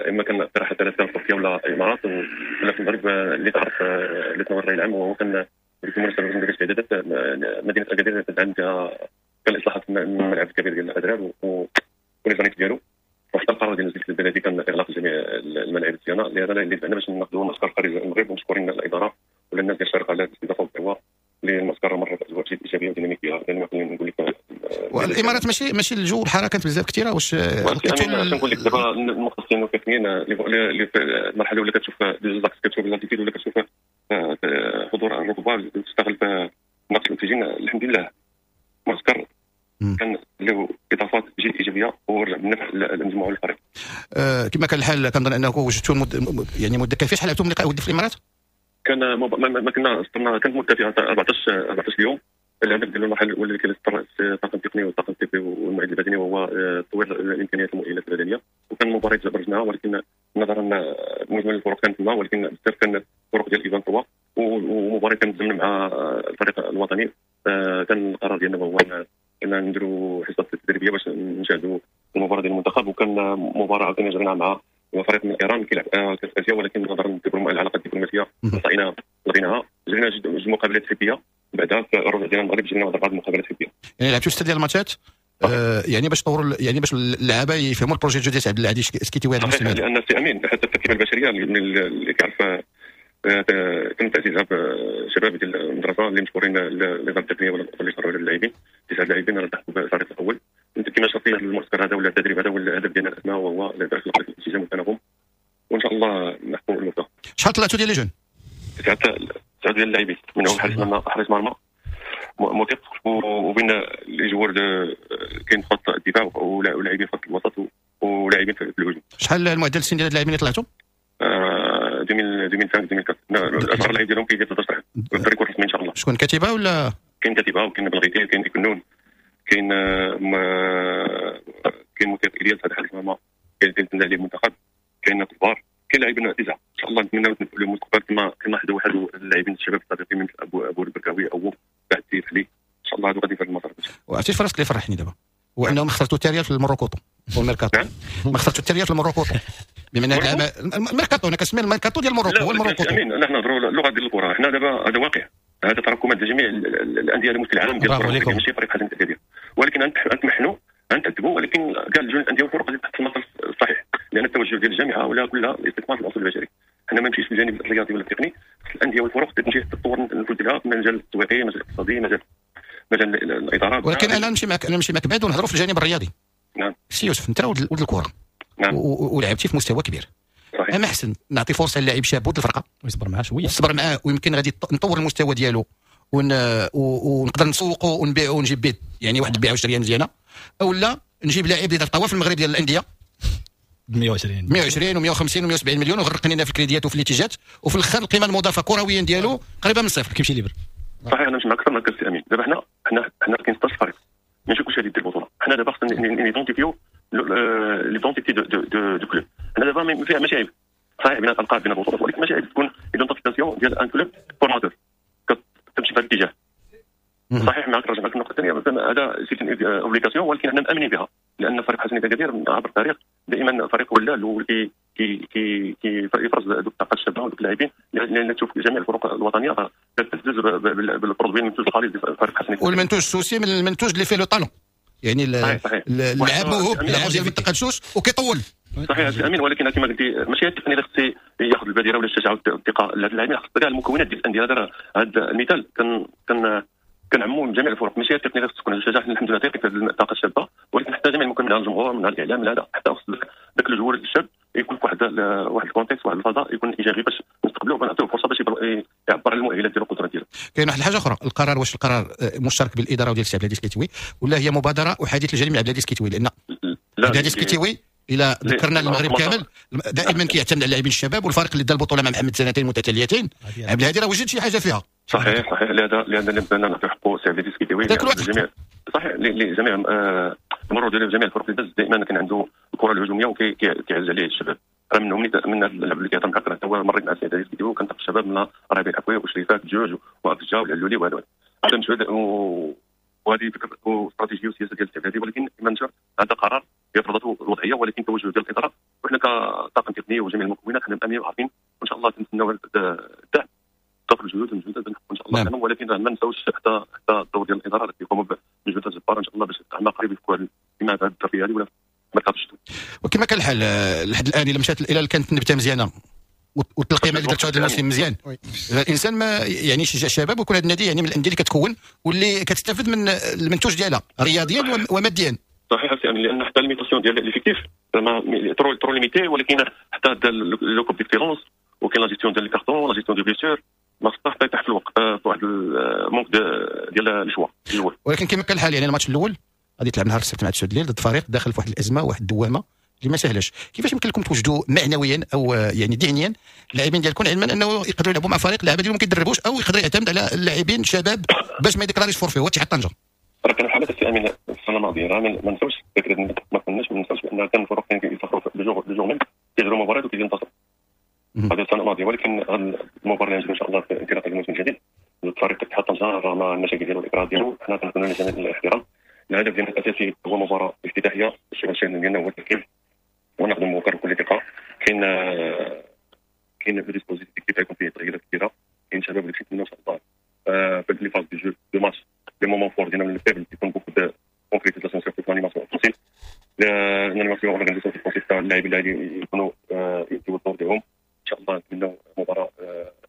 اما كان اقتراح ثلاثة في تركيا ولا الامارات ولا في المغرب، اللي تعرف اللي تنور الراي العام. وهو كان بالمناسبة ندير استعدادات مدينة اكادير تدعم فيها، كان اصلاحات الملعب الكبير ديال الادرار و les annexes ديالو، وحتى القرار ديال البلدي كان اغلاق جميع الملاعب ديالنا، لهذا اللي دفعنا باش ناخذوا معسكر خارج المغرب، ومشكورين الادارة ولا الناس ديال الشارقة على الاستضافة والدعوة للمعسكر مر باجواء جد ايجابية وديناميكيه. لان نقول لك والامارات ماشي الجو، الحرارة كانت بزاف كثيرة. واش نقول لك دابا المختصين والتقنيين اللي في المرحلة الاولى كتشوف des axes، كتشوف l'altitude ولا كتشوف حضور الركبة تشتغل في نقص الاكسجين. الحمد لله معسكر كان له اضافات جد ايجابية ورجع بالنفع للمجموعة والفريق. كما كان الحال كنظن انه وجدتوا يعني مده كافيه. شحال لعبتوا من لقاء ودي في الامارات؟ كان ما كنا كانت مده فيها 14 يوم. الهدف ديال المرحلة الاولى اللي كان الطاقم التقني والطاقم الطبي والمعد البدني وهو تطوير الامكانيات المؤهلات البدنية، وكان مباراة برزناها، ولكن نظرا مجمل الفرق كانت تما، ولكن بزاف كان الفرق ديال ايفان 3 ومباراة كانت ضمن مع الفريق الوطني. كان القرار ديالنا هو ان نديروا حصة تدريبية باش نشاهدوا المباراة ديال المنتخب، وكان مباراة عاوتاني جرينا مع فريق من ايران كيلعب كاس اسيا، ولكن نظرا للعلاقات الدبلوماسية لغيناها. جرينا جوج مقابلات حبيه، بعدها في الرجوع ديالنا المغرب جرينا اربع مقابلات حبيه. يعني لعبتوا 6 ديال الماتشات يعني باش طوروا، يعني باش اللعابه يفهموا ال projet ديال عبد العزيز السكتيوي هذا الموسم. لان سي امين حتى التركيبة البشرية اللي كيعرف تم تعزيزها بشباب ديال المدرسة اللي مشكورين النظام التقنية ولا اللي شرعوا على اللاعبين، 9 لاعبين راه تحت الفريق الاول. انت كما شرطي هذا المعسكر هذا ولا التدريب هذا، ولا الهدف ديالنا الاسمى وهو خلق الانسجام والتناغم، وان شاء الله نحققوا المبدا. شحال طلعتوا ديال les jeunes؟ 9 ديال اللاعبين، منهم حارس مرمى موثق، وبين les joueurs كاين خط الدفاع ولاعبين خط الوسط ولاعبين في الهجوم. شحال المعدل السن ديال اللاعبين اللي طلعتوا؟ 2005 2004 الاصغر لاعب ديالهم كيدير 13 عام. الفريق الرسمي ان شاء الله. شكون كتيبة ولا؟ كاين كتيبة وكاين بلغيتي كاين كنون كاين كاين موثق الياس هذا حارس مرمى كاين تنتمي عليه المنتخب، كاين كبار، كاين لاعبين 9 ان شاء الله. نتمناو المستقبل كما حدا واحد اللاعبين الشباب السابقين من ابو البركاوي او بعد سيف علي، ان شاء الله هادو غادي في هذا المسار. وعرفتي فراسك اللي فرحني دابا هو انهم خسرتوا التاريخ في المروكوطو والميركاتو. ما خسرتوا التاريخ في المروكوطو بما ان الميركاتو انا كنسمي الميركاتو ديال المروكو هو المروكوطو. امين نحن نهضروا اللغة ديال الكره، حنا دابا هذا واقع، هذا تراكمات جميع الاندية على مستوى العالم ديال الكره، ماشي فريق حسن التكادير، ولكن نتمحنوا نتعذبوا، ولكن كاع الاندية والفرق غادي تحت المسار الصحيح، لان التوجه ديال الجامعة ولا كلها الاستثمار في العنصر البشري. حنا ما نمشيش في الجانب الرياضي ولا التقني، الاندية والفرق تمشي تطور النفوذ ديالها في المجال التسويقي، المجال الاقتصادي، مجال الادارة. ولكن انا نمشي معك بعد ونهضروا في الجانب الرياضي. نعم سي يوسف، انت ولد الكره. نعم. ولعبتي في مستوى كبير. صحيح. اما احسن نعطي فرصة للاعب شاب ولد الفرقة ويصبر معاه شوية، يصبر معاه، ويمكن غادي نطور المستوى ديالو ونقدر نسوقه ونبيعه ونجيب به يعني واحد البيعة وشريه مزيانه، او لا نجيب لاعب اللي دار طواف المغرب ديال الاندية 120 و150 و170 مليون وغرقني لنا في الكريديات وفي الاتجاهات، وفي الاخر القيمة المضافة كرويا ديالو قريبه من صفر، كيمشي libre. صحيح انا مش معك اكثر من السي امين. دابا حنا كاين 16 فريق، ماشي كلشي غادي يدير البطولة. حنا دابا خصنا n'identifier l'identité de club. حنا دابا فيها ماشي عيب، صحيح بين الالقاب بين البطولات، ولكن ماشي عيب تكون identification ديال un club formateur كتمشي في هذا الاتجاه. صحيح معك، رجع معك النقطة الثانية، هذا c'est obligation، ولكن حنا مامنين بها، لان فريق حسن اكادير عبر التاريخ دائما فريق ولا اللي كي كي كي يفرز دوك الطاقة الشابة ودوك اللاعبين، لان تشوف جميع الفرق الوطنية كتعتز بال produit المنتوج الخالص ديال فريق حسن، والمنتوج السوسي من المنتوج اللي فيه le talent، يعني اللاعب موهوب، اللاعب ديال منطقة السوس وكيطول. صحيح امين، ولكن كما قلتي ماشي التقني اللي خص ياخذ البادرة ولا الشجاعة والثقة لهاد اللاعبين، خص كاع المكونات ديال الاندية. هذا المثال كان كنعمو من جميع الفرق، ماشي التقنية اللي خص تكون الشجاعة، الحمد لله تيقي في الطاقة الشابة، ولكن حتى جميع المكونات من الجمهور من الاعلام من هذا، حتى خص ذاك ال joueur الشاب يكون في واحد ال contexte، واحد الفضاء يكون ايجابي باش نستقبلوه ونعطيوه فرصة باش يعبر على المؤهلات ديالو والقدرات ديالو. كاين واحد الحاجة اخرى، القرار واش القرار مشترك بالادارة وديال السي عبد العزيز السكتيوي ولا هي مبادرة احادية الجانب من عبد العزيز السكتيوي؟ لان عبد العزيز السكتيوي الى ذكرنا المغرب كامل دائما كيعتمد على اللاعبين الشباب، والفريق اللي دا البطولة مع محمد سنتين متتاليتين عبد الهادي راه وجد شي حاجة فيها. صحيح صحيح، لهذا نعطيو حقه سي عبد العزيز السكتيوي جميع، صحيح لجميع المرور ديالو جميع الفرق اللي داز دائما كان عنده الكره الهجومية وكيعز عليه الشباب. راه منهم من اللاعب اللي كيهضر معاك هو مريت مع السي عبد العزيز السكتيوي وكان الشباب من ربيع الحكوي وشريفات جوج وافجا والعلولي وهذا هذا مجهود، وهذه فكرة واستراتيجيه وسياسة ديال السي عبد العزيز، ولكن كما نشر هذا قرار فرضته الوضعية، ولكن توجه ديال الادارة وحنا كطاقم تقني وجميع المكونات حنا مامنين وعارفين، وان شاء الله كنتسناو الدعم ضفر الجهود والمجهودات ان شاء الله. نعم. ولكن ما نساوش حتى الدور ديال الادارة اللي كيقوموا بمجهودات جبارة ان شاء الله باش عما قريب يكون كما هذه الترفيه هذه ولا ميركاتو الشتوي. وكما كان الحال لحد الان الا مشات، الا كانت النبتة مزيانه والتلقيمه اللي درتو هذا الموسم مزيان، الانسان ما يعني يشجع الشباب، ويكون هذا النادي يعني من الاندية اللي كتكون واللي كتستافد من المنتوج ديالها رياضيا وماديا. صحيح سي، لان حتى limitation ديال l'effectif زعما trop trop limité، ولكن حتى le coupe d'excellence وكاين la gestion ديال ال cartons، la gestion des blessures، ما خصها حتى يطيح في الوقت في واحد ال manque ديال les choix. ولكن كما كان الحال يعني الماتش الاول غادي تلعب نهار السبت مع 9 الليل ضد فريق داخل في واحد الازمة، واحد الدوامة اللي ما سهلاش. كيفاش يمكن لكم توجدوا معنويا او يعني ذهنيا اللاعبين ديالكم، علما انه يقدروا يلعبوا مع فريق اللاعبين ديالهم ما كيدربوش، او يقدر يعتمد على اللاعبين شباب باش ما يديكلاريش forfait هو اتحاد طنجه؟ راه كانوا حالات السي امين السنة الماضيه، راه ما نساوش فكره، ما كناش ما نساوش بان كان الفرق كيسافروا le jour même، كيديروا مباريات وكينتصروا. هذه السنة الماضيه، ولكن المباراة اللي ان شاء الله في انطلاق الموسم الجديد الفريق اتحاد طنجه رغم المشاكل ديالو والاكراه ديالو، حنا كنكونوا جميع الاحترام. الهدف ديالنا الاساسي هو مباراة افتتاحيه، الشغل ديالنا هو التركيز ونخدموا بكل ثقه. كاين في dispositif كيف يكون فيه تغييرات كثيره، كاين شباب اللي كيتمنوا ان شاء الله في les phases de jeu de match، les moments forts ديالنا من ال faibles يكون beaucoup de concrétisation surtout في l'animation offensive، l'animation organisation offensive تاع اللاعبين اللي يكونوا يديو الدور ديالهم. ان شاء الله نتمنوا مباراة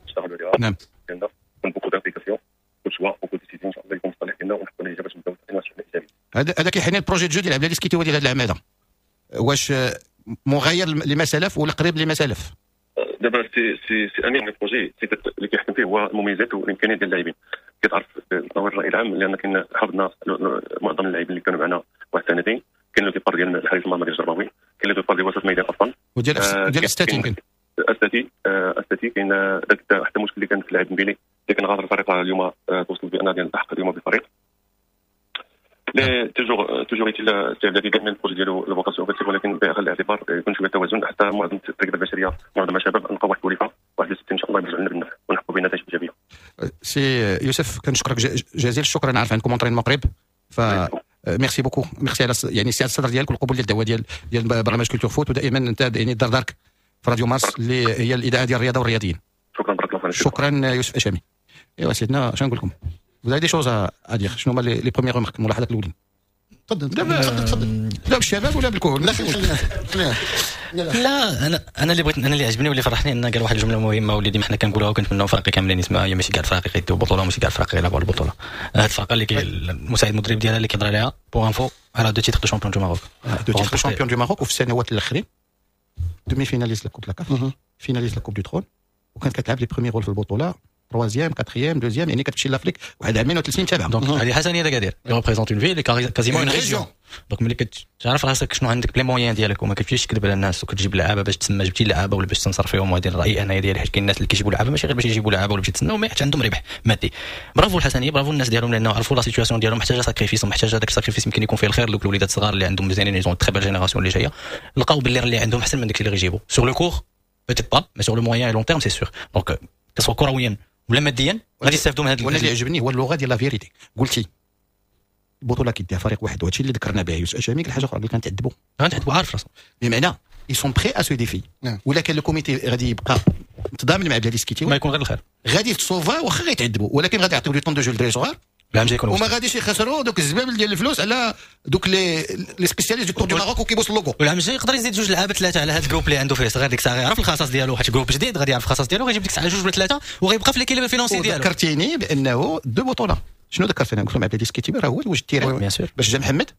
نشتغلوا عليها. ديالنا يكون beaucoup d'implication، beaucoup choix، beaucoup décisions، ان شاء الله يكون في الصالح ديالنا ونحطوا نتيجة باش نبداو ايجابي. هذا كيحني ال projet de jeu ديال عبد العزيز السكتيوي ديال هذا العام، هذا واش مغاير لما سلف ولا قريب لما سلف؟ دابا سي امين، ال projet اللي كيحكم فيه هو المميزات والامكانيات ديال اللاعبين. كتعرف تطور الراي العام، لان كنا حافظنا معظم اللاعبين اللي كانوا معنا واحد سنتين. كاين le départ ديال الحارس المرمى ديال الجرباوي، كاين le départ ديال وسط الميدان اصلا وديال الستاتي يمكن. استاتي كاين ذاك حتى المشكل اللي كان في اللاعب مبيلي اللي كان غادر الفريق اليوم، توصل بان ديال التحق اليوم بالفريق. mais toujours est-il سي عبد دائما ال projet ديالو la vocation offensive، ولكن باخذ الاعتبار يكون شوية توازن حتى معظم التركيبة البشريه، معظم الشباب، نلقاو واحد الوليفه واحد ان شاء الله يرجع لنا بالنفع ونحققوا بنتائج ايجابية. سي يوسف، كنشكرك جزيل الشكر. انا عارف عندكم entraînement قريب، ف merci beaucoup، merci على يعني سعة الصدر ديالك والقبول ديال الدعوة ديال برنامج Culture Foot، ودائما انت يعني دار دارك في راديو مارس اللي هي الاذاعة ديال الرياضة والرياضيين. شكرا، بارك الله فيك. شكرا يوسف اشامي. ايوا سيدنا، شنو نقول لكم؟ Vous avez des choses à dire؟ شنو هما les premières remarques، الملاحظات الاولين؟ تفضل تفضل تفضل. لا بالشباب ولا بالكهول؟ لا، خلينا. لا، انا اللي بغيت، انا اللي عجبني واللي فرحني ان قال واحد الجملة مهمة واللي ديما حنا كنقولوها وكنتمناو فرق كاملين يسمعوها، هي ماشي كاع الفرق يديو بطوله وماشي كاع الفرق يلعبوا على البطوله. هاد الفرقة اللي المساعد المدرب ديالها اللي كيهضر عليها، pour info على deux titres de champion du Maroc. deux titres champion du Maroc، وفي السنوات الاخرين demi-finaliste la coupe la CAF، finaliste la coupe du Trône، وكانت كتلعب les premiers rôles في البطوله، troisième، quatrième، deuxième، يعني كتمشي l'Afrique واحد عامين وثلاث سنين تابعه. donc هذه حسنيه اكادير représente une ville، quasiment une région. donc ملي كتعرف راسك شنو عندك، les moyens ديالك، وما كتمشيش تكذب على الناس وكتجيب لعابه باش تسمى جبتي لعابه ولا باش تنصر فيهم. وهذه الراي انا ديالي، حيت كاين الناس اللي كيجيبوا لعابه ماشي غير باش يجيبوا لعابه ولا باش يتسناو، mais حيت عندهم ربح مادي. برافو الحسنيه، برافو الناس ديالهم، لانه عرفوا la situation ديالهم محتاجه sacrifice، ومحتاجة هذاك ال sacrifice يمكن يكون فيه الخير. دوك الوليدات الصغار اللي عندهم مزيانين، ils ont très belle génération اللي جايه، لقاو باللي اللي عندهم احسن من داك اللي غيجيبوا. sur le court peut-être pas، mais sur le moyen et long terme c'est sûr. donc que ce soit كرويا ولا ماديا غادي يستافدوا من هذا. وانا اللي عجبني هو اللغة ديال la vérité. قلتي البطولة كيديها فريق واحد، وهادشي اللي ذكرنا به يوسف اشامي. الحاجة اخرى اللي كنتعذبوا غنتعذبوا، عارف راسهم. بمعنى ils sont prêts à ce défi. ولا كان le comité غادي يبقى متضامن مع عبد العزيز السكتيوي ما يكون غير الخير. غادي تصوفا واخا غيتعذبوا، ولكن غادي يعطيو le temps de jeu للدراري صغار العام الجاي يكون وما غاديش يخسروا دوك الزبابل ديال الفلوس على دوك les spécialistes du Tour du Maroc وكيبوس اللوغو. والعام الجاي يقدر يزيد جوج لعابه ثلاثة على هذا ال groupe اللي عنده فيه صغير. ديك الساعة غيعرف الخصائص ديالو، حيت groupe جديد غادي يعرف الخصائص ديالو، غيجيب ديك الساعة جوج ولا ثلاثة وغيبقى في l'équilibre financier ديالو. ذكرتيني بانه deux بطوله، شنو ذكرت انا؟ قلت لهم عبد العزيز السكتيوي راه هو اللي وجد ال terrain bien sûr باش جا محمد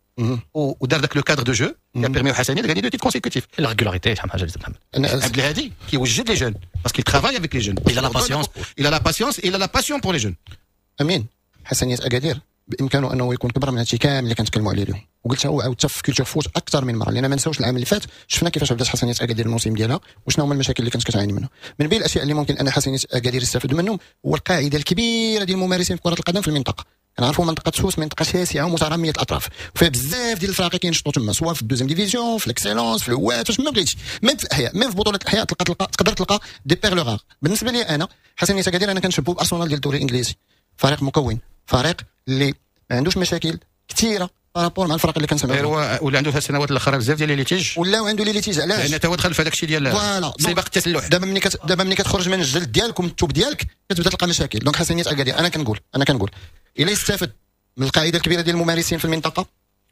ودار ذاك le cadre de jeu qui a permis حسنيه gagner deux titres consécutifs. la régularité شحال من حاجة اللي محمد. عبد الهادي كيوجد les jeunes parce qu'il travaille avec les jeunes. Il a la patience. il a la patience، il a la passion pour les jeunes. امين، حسنيه اكادير بامكانه انه يكون كبر من هادشي كامل اللي كنتكلموا عليه اليوم، وقلتها وعاودتها في Culture Foot اكثر من مره، لان ما نساوش العام اللي فات شفنا كيفاش بدات حسنيه اكادير الموسم ديالها وشنو هما المشاكل اللي كانت كتعاني منها. من بين الاشياء اللي ممكن ان حسنيه اكادير يستافد منهم هو القاعدة الكبيرة ديال الممارسين في كره القدم في المنطقه. كنعرفوا منطقة سوس منطقة شاسعه ومتراميه الاطراف، فيها بزاف ديال الفراقي كينشطوا تما، سواء في ال deuxième division، في l'excellence، في الهوات، فاش ما بغيتش، même في الاحياء، même في بطوله الاحياء تلقى تقدر تلقى des perles rares. بالنسبة لي انا حسنيه اكادير انا كنشبهو بارسنال ديال الدوري الانجليزي، فريق مكون، فريق اللي ما عندوش مشاكل كثيرة par rapport مع الفرق اللي كنسمعوا. غير هو ولا عنده في السنوات الاخرى بزاف ديال les litiges. ولاو عنده les litiges، علاش؟ لان هو دخل في هذاك الشيء ديال voilà سباق التسلح. دابا ملي كتخرج من الجلد ديالك ومن التوب ديالك كتبدا تلقى مشاكل. donc حسنيه اكادير انا كنقول الا يستافد من القاعدة الكبيرة ديال الممارسين في المنطقة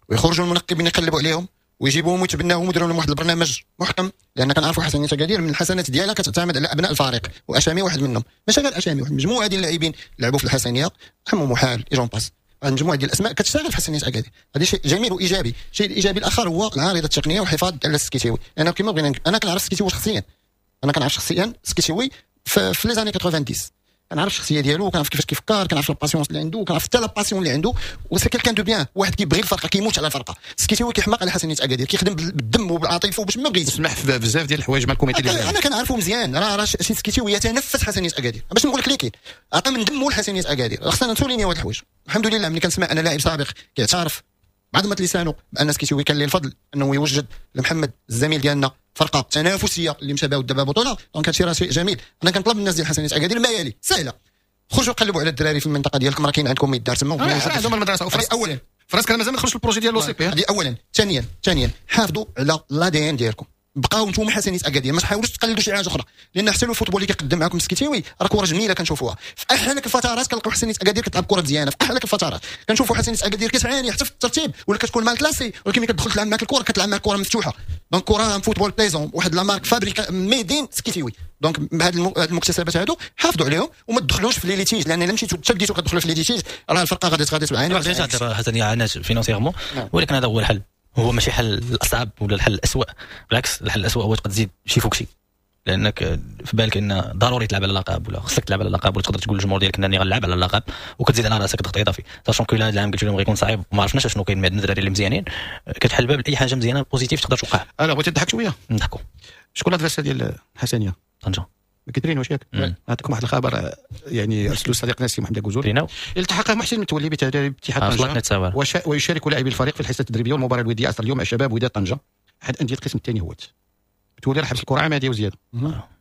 ويخرجوا المنقبين يقلبوا عليهم. ويجيبوهم ويتبناهم ويديروا لهم واحد البرنامج محكم، لان كنعرفوا حسنيه اكادير من الحسنات ديالها كتعتمد على ابناء الفريق، واشامي واحد منهم، ماشي غير اشامي، واحد المجموعة ديال اللاعبين لعبوا في الحسنيه، حمو محال et j'en passe، مجموعة ديال الاسماء كتشتغل في حسنيه اكادير. هذا شيء جميل وايجابي. الشيء الايجابي الاخر هو العارضة التقنية والحفاظ على السكيتيوي. انا كما بغينا، انا كنعرف السكيتيوي شخصيا، انا كنعرف شخصيا السكيتيوي في les années 90، كنعرف الشخصية ديالو، كنعرف كيفاش كيفكر، كنعرف la patience اللي عنده، كنعرف حتى la passion اللي عنده، و c'est quelqu'un de bien، واحد كيبغي الفرقة، كيموت على الفرقة. السكيتيوي كيحماق على حسنيه اكادير، كيخدم بالدم وبالعاطفه وباش ما بغيتش. سمح في بزاف ديال الحوايج مع ال comité اللي انا كنعرفو مزيان، راه شي سكيتيوي يتنفس حسنيه اكادير، باش نقول لك اللي كاين، عطى من دمه لحسنيه اكادير. خصنا ن souligner واحد الحوايج. الحمد لله ملي كنسمع انا لاعب سابق كيعترف بعظمة لسانه بان سكيتيوي كان ليه الفضل انه يوجد لمحمد الزميل ديالنا فرقه تنافسية اللي مشى بها دابا بطوله، donc هادشي راه شيء جميل. انا كنطلب من الناس ديال حسنيه اكادير ما يلي، سهلة، خرجوا قلبوا على الدراري في المنطقة ديالكم، راه كاين عندكم ما يدار تما. عندهم المدرسة اولا فراسك مازال ما دخلش ال projet ديال l'OCP هذه اولا. ثانيا حافظوا على l'ADN ديالكم، بقاو نتوما حسنيه اكادير، ما تحاولوش تقلدوا شي حاجة اخرى، لان حتى ال football اللي كيقدم معكم السكيتيوي راه كره جميلة كنشوفوها في احلك الفترات، كنلقاو حسنيه اكادير كتلعب كره مزيانه في احلك الفترات، كنشوفوا حسنيه اكادير كتعاني حتى في الترتيب ولا كتكون mal classée، ولكن ملي كتدخل تلعب معك الكره كتلعب معك كره مفتوحة، donc كره football plaisant، واحد la marque fabriquée made in سكيتيوي. donc بهاد المكتسبات هادو حافظوا عليهم وما تدخلوش في les litiges، لان الا مشيتو حتى بديتو كتدخلوا في les litiges راه الفرقة غادي تعاني. déjà حسنيه عانات financièrement، ولكن هذا هو الحل، هو ماشي حل الاصعب ولا الحل الاسوء، بالعكس الحل الاسوء هو تقدر تزيد شي فوق شي، لانك في بالك ان ضروري تلعب على اللقب ولا خصك تلعب على اللقب، ولا تقدر تقول للجمهور ديالك انني غنلعب على اللقب وكتزيد على راسك ضغط اضافي، sachant que هذا العام قلت لهم غيكون صعيب وما عرفناش شنو كاين، عندنا الدراري اللي مزيانين، كتحل باب لاي حاجة مزيانه positive تقدر توقع. انا بغيت نضحك شوية. نضحكوا. شكون l'adversaire ديال الحسنيه؟ طنجه. ما كيترينوش ياك؟ نعطيكم واحد الخبر، يعني ارسلوا صديقنا السي محمد كوزول، التحق محسن متولي بتدريب اتحاد طنجه ويشارك لاعبي الفريق في الحصة التدريبية والمباراة الودية عصر اليوم مع شباب وداد طنجه احد اندية القسم الثاني. هوت متولي راه حبس الكره عماديه وزيادة،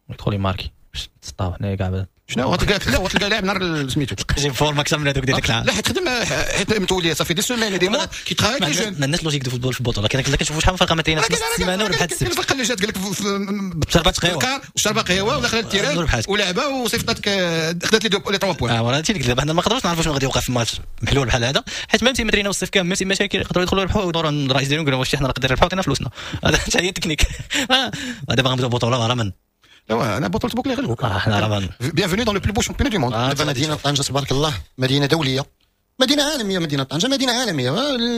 يدخل يماركي باش تسطاو حنايا كاع شنو غتلقى؟ لا غتلقى لاعب نهار سميتو جيب forme اكثر من هذوك ديال ديك العام. لا حيت خدم، حيت متولي صافي des semaines des mois كيتخايل ما عندناش logique de football في البطولة، كنشوفوا شحال من فرقه ما تريناش نص السيمانة ولا بحال السبت. الفرقة اللي جات قال لك شربات قهوة وشربات قهوة ودخلت ال terrain ولعبه وصيفطاتك خدات les 3 points. voilà هادشي اللي قلت، حنا ما نقدروش نعرفوا شنو غادي يوقع في الماتش محلول بحال هذا، حيت même si ما تريناو الصيف كامل، même si مشاكل يقدروا يدخلوا يربحوا ويدوروا عند الرئيس ديالهم يقولوا واش حنا نقدر نربحوا عطينا فلوسنا. هذا حتى هي التكنيك. دابا غنبداو بطوله راه من لا انا بطولة بوكلي غير حنا راه bienvenue dans le plus beau championnat du monde. دابا مدينة طنجه تبارك الله مدينة دولية، مدينة عالمية، مدينة طنجه مدينة عالمية،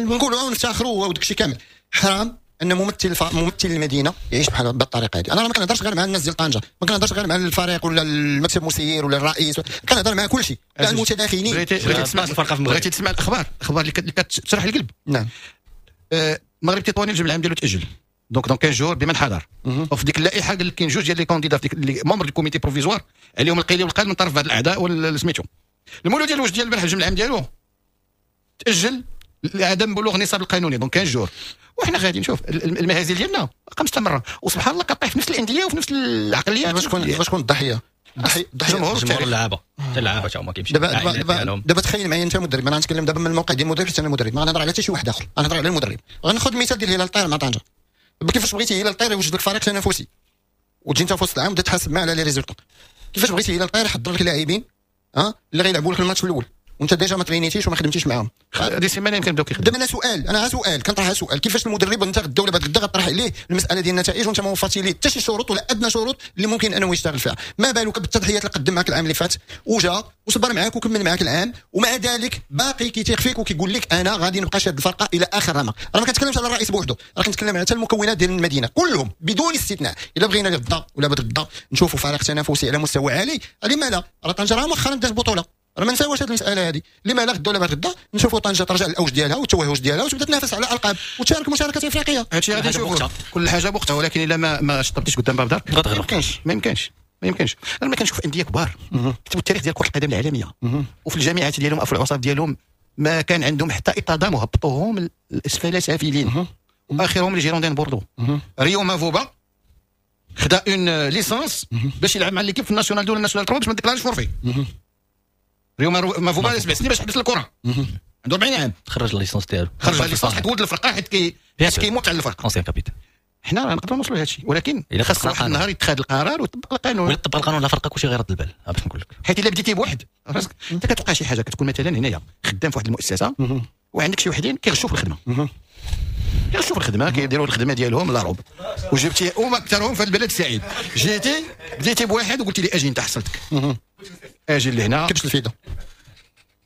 نقولوا ونفتخروا وداك الشيء كامل. حرام ان ممثل المدينة يعيش بحال بالطريقة هذه. انا ما كنهضرش غير مع الناس ديال طنجه، ما كنهضرش غير مع الفريق ولا المكتب المسير ولا الرئيس، كنهضر مع كل شيء، كاع المتداخلين. بغيتي تسمع الفرقة في المغرب، بغيتي تسمع الاخبار اللي كتشرح القلب. نعم. المغرب التطواني الجمع العام ديالو تاجل، donc dans 15 jours بمن حضر. وفي ديك اللائحة قال لك كاين جوج ديال les candidats في ديك les membres du comité provisoire عليهم القيل والقال من طرف بعض الاعداء ولا سميتو. المولود ديال الوجد ديال البارح الجمع العام ديالو تاجل لعدم بلوغ النصاب القانوني، donc 15 jours. وحنا غادي نشوف المهازل ديالنا باقا مستمرة، وسبحان الله كطيح في نفس الاندية وفي نفس العقليات. باش تكون الضحية الجمهور اللعابه حتى اللعابه حتى هما كيمشيو. دابا تخيل معايا انت مدرب، انا غنتكلم دابا من الموقع ديال المدرب، حتى انا مدرب ما غنهضر على حتى شي واحد اخر، غنهضر على المدرب. غناخذ مثال ديال هلال الطير مع طنجه. كيفاش بغيتي هلال الطير يوجد لك فريق تنافسي وتجي انت في وسط العام وتبدا تحاسب معاه على les résultats؟ كيفاش بغيتي هلال الطير يحضر لك لاعبين اللي غيلعبوا لك الماتش الاول وانت déjà ما ترينيتيش وما خدمتيش معاهم؟ هذه سيمانه يمكن بداو كيخدموا. دابا انا سؤال، انا سؤال كنطرح سؤال، كيفاش المدرب انت غدا ولا بعد غدا غطرح عليه المسالة ديال النتائج وانت ما وفرتي ليه حتى شي شروط ولا ادنى شروط اللي ممكن انه يشتغل فيها؟ ما بالك بالتضحيات اللي قدم معك العام اللي فات وجا وصبر معاك وكمل معاك العام، ومع ذلك باقي كيتيق فيك وكيقول لك انا غادي نبقى شاد الفرقة الى اخر رمق. راه ما كنتكلمش على الرئيس بوحده، راه كنتكلم على حتى المكونات ديال المدينة كلهم بدون استثناء. الا بغينا غدا ولا بعد غدا نشوفوا فريق تنافسي على مستوى عالي، لما لا؟ راه طنجه راه مؤخرا دات بطوله، راه ما نساوش هذه المسالة هذه. لما لا غدا ولا بعد غدا نشوفوا طنجه ترجع للاوج ديالها والتوهج ديالها وتبدا تنافس على القاب وتشارك مشاركات افريقية. هادشي غادي نشوفوا كل حاجة بوقتها، ولكن الا ما شطبتيش قدام باب دارك ما يمكنش، ما يمكنش، ما يمكنش. انا ما كنشوف اندية كبار كتبوا التاريخ ديال كره القدم العالمية وفي الجامعات ديالهم او في العصاب ديالهم ما كان عندهم حتى اطادام وهبطوهم الاسفل سافلين، واخرهم les Girondins بوردو. ريو مافوبا خدا une licence باش يلعب مع l'équipe في ال nationale 2 ولا ال nationale 3 باش ما ديكلاريش forfait. ريو مافوبا 7 سنين باش حبس الكره، عنده 40 عام، خرج la licence ديالو، خرج la licence حيت ولد الفرقة، حيت كيموت على الفرقة، ancien capitaine. حنا راه نقدروا نوصلوا لهذا الشيء، ولكن خاص واحد النهار يتخذ القرار ويطبق القانون. ولا طبق القانون على فرقه كلشي غيرد البال. باش نقول لك، حيت الا بديتي بواحد راسك انت كتوقع شي حاجة، كتكون مثلا هنايا خدام في واحد المؤسسة وعندك شي وحدين كيغشوا في الخدمة، كيشوفوا الخدمة، كيديروا الخدمة ديالهم la robe. وجبتي وما اكثرهم في البلد السعيد. جيتي بديتي بواحد وقلتي لي اجي انت حصلتك، اجي لهنا كبش الفيدة.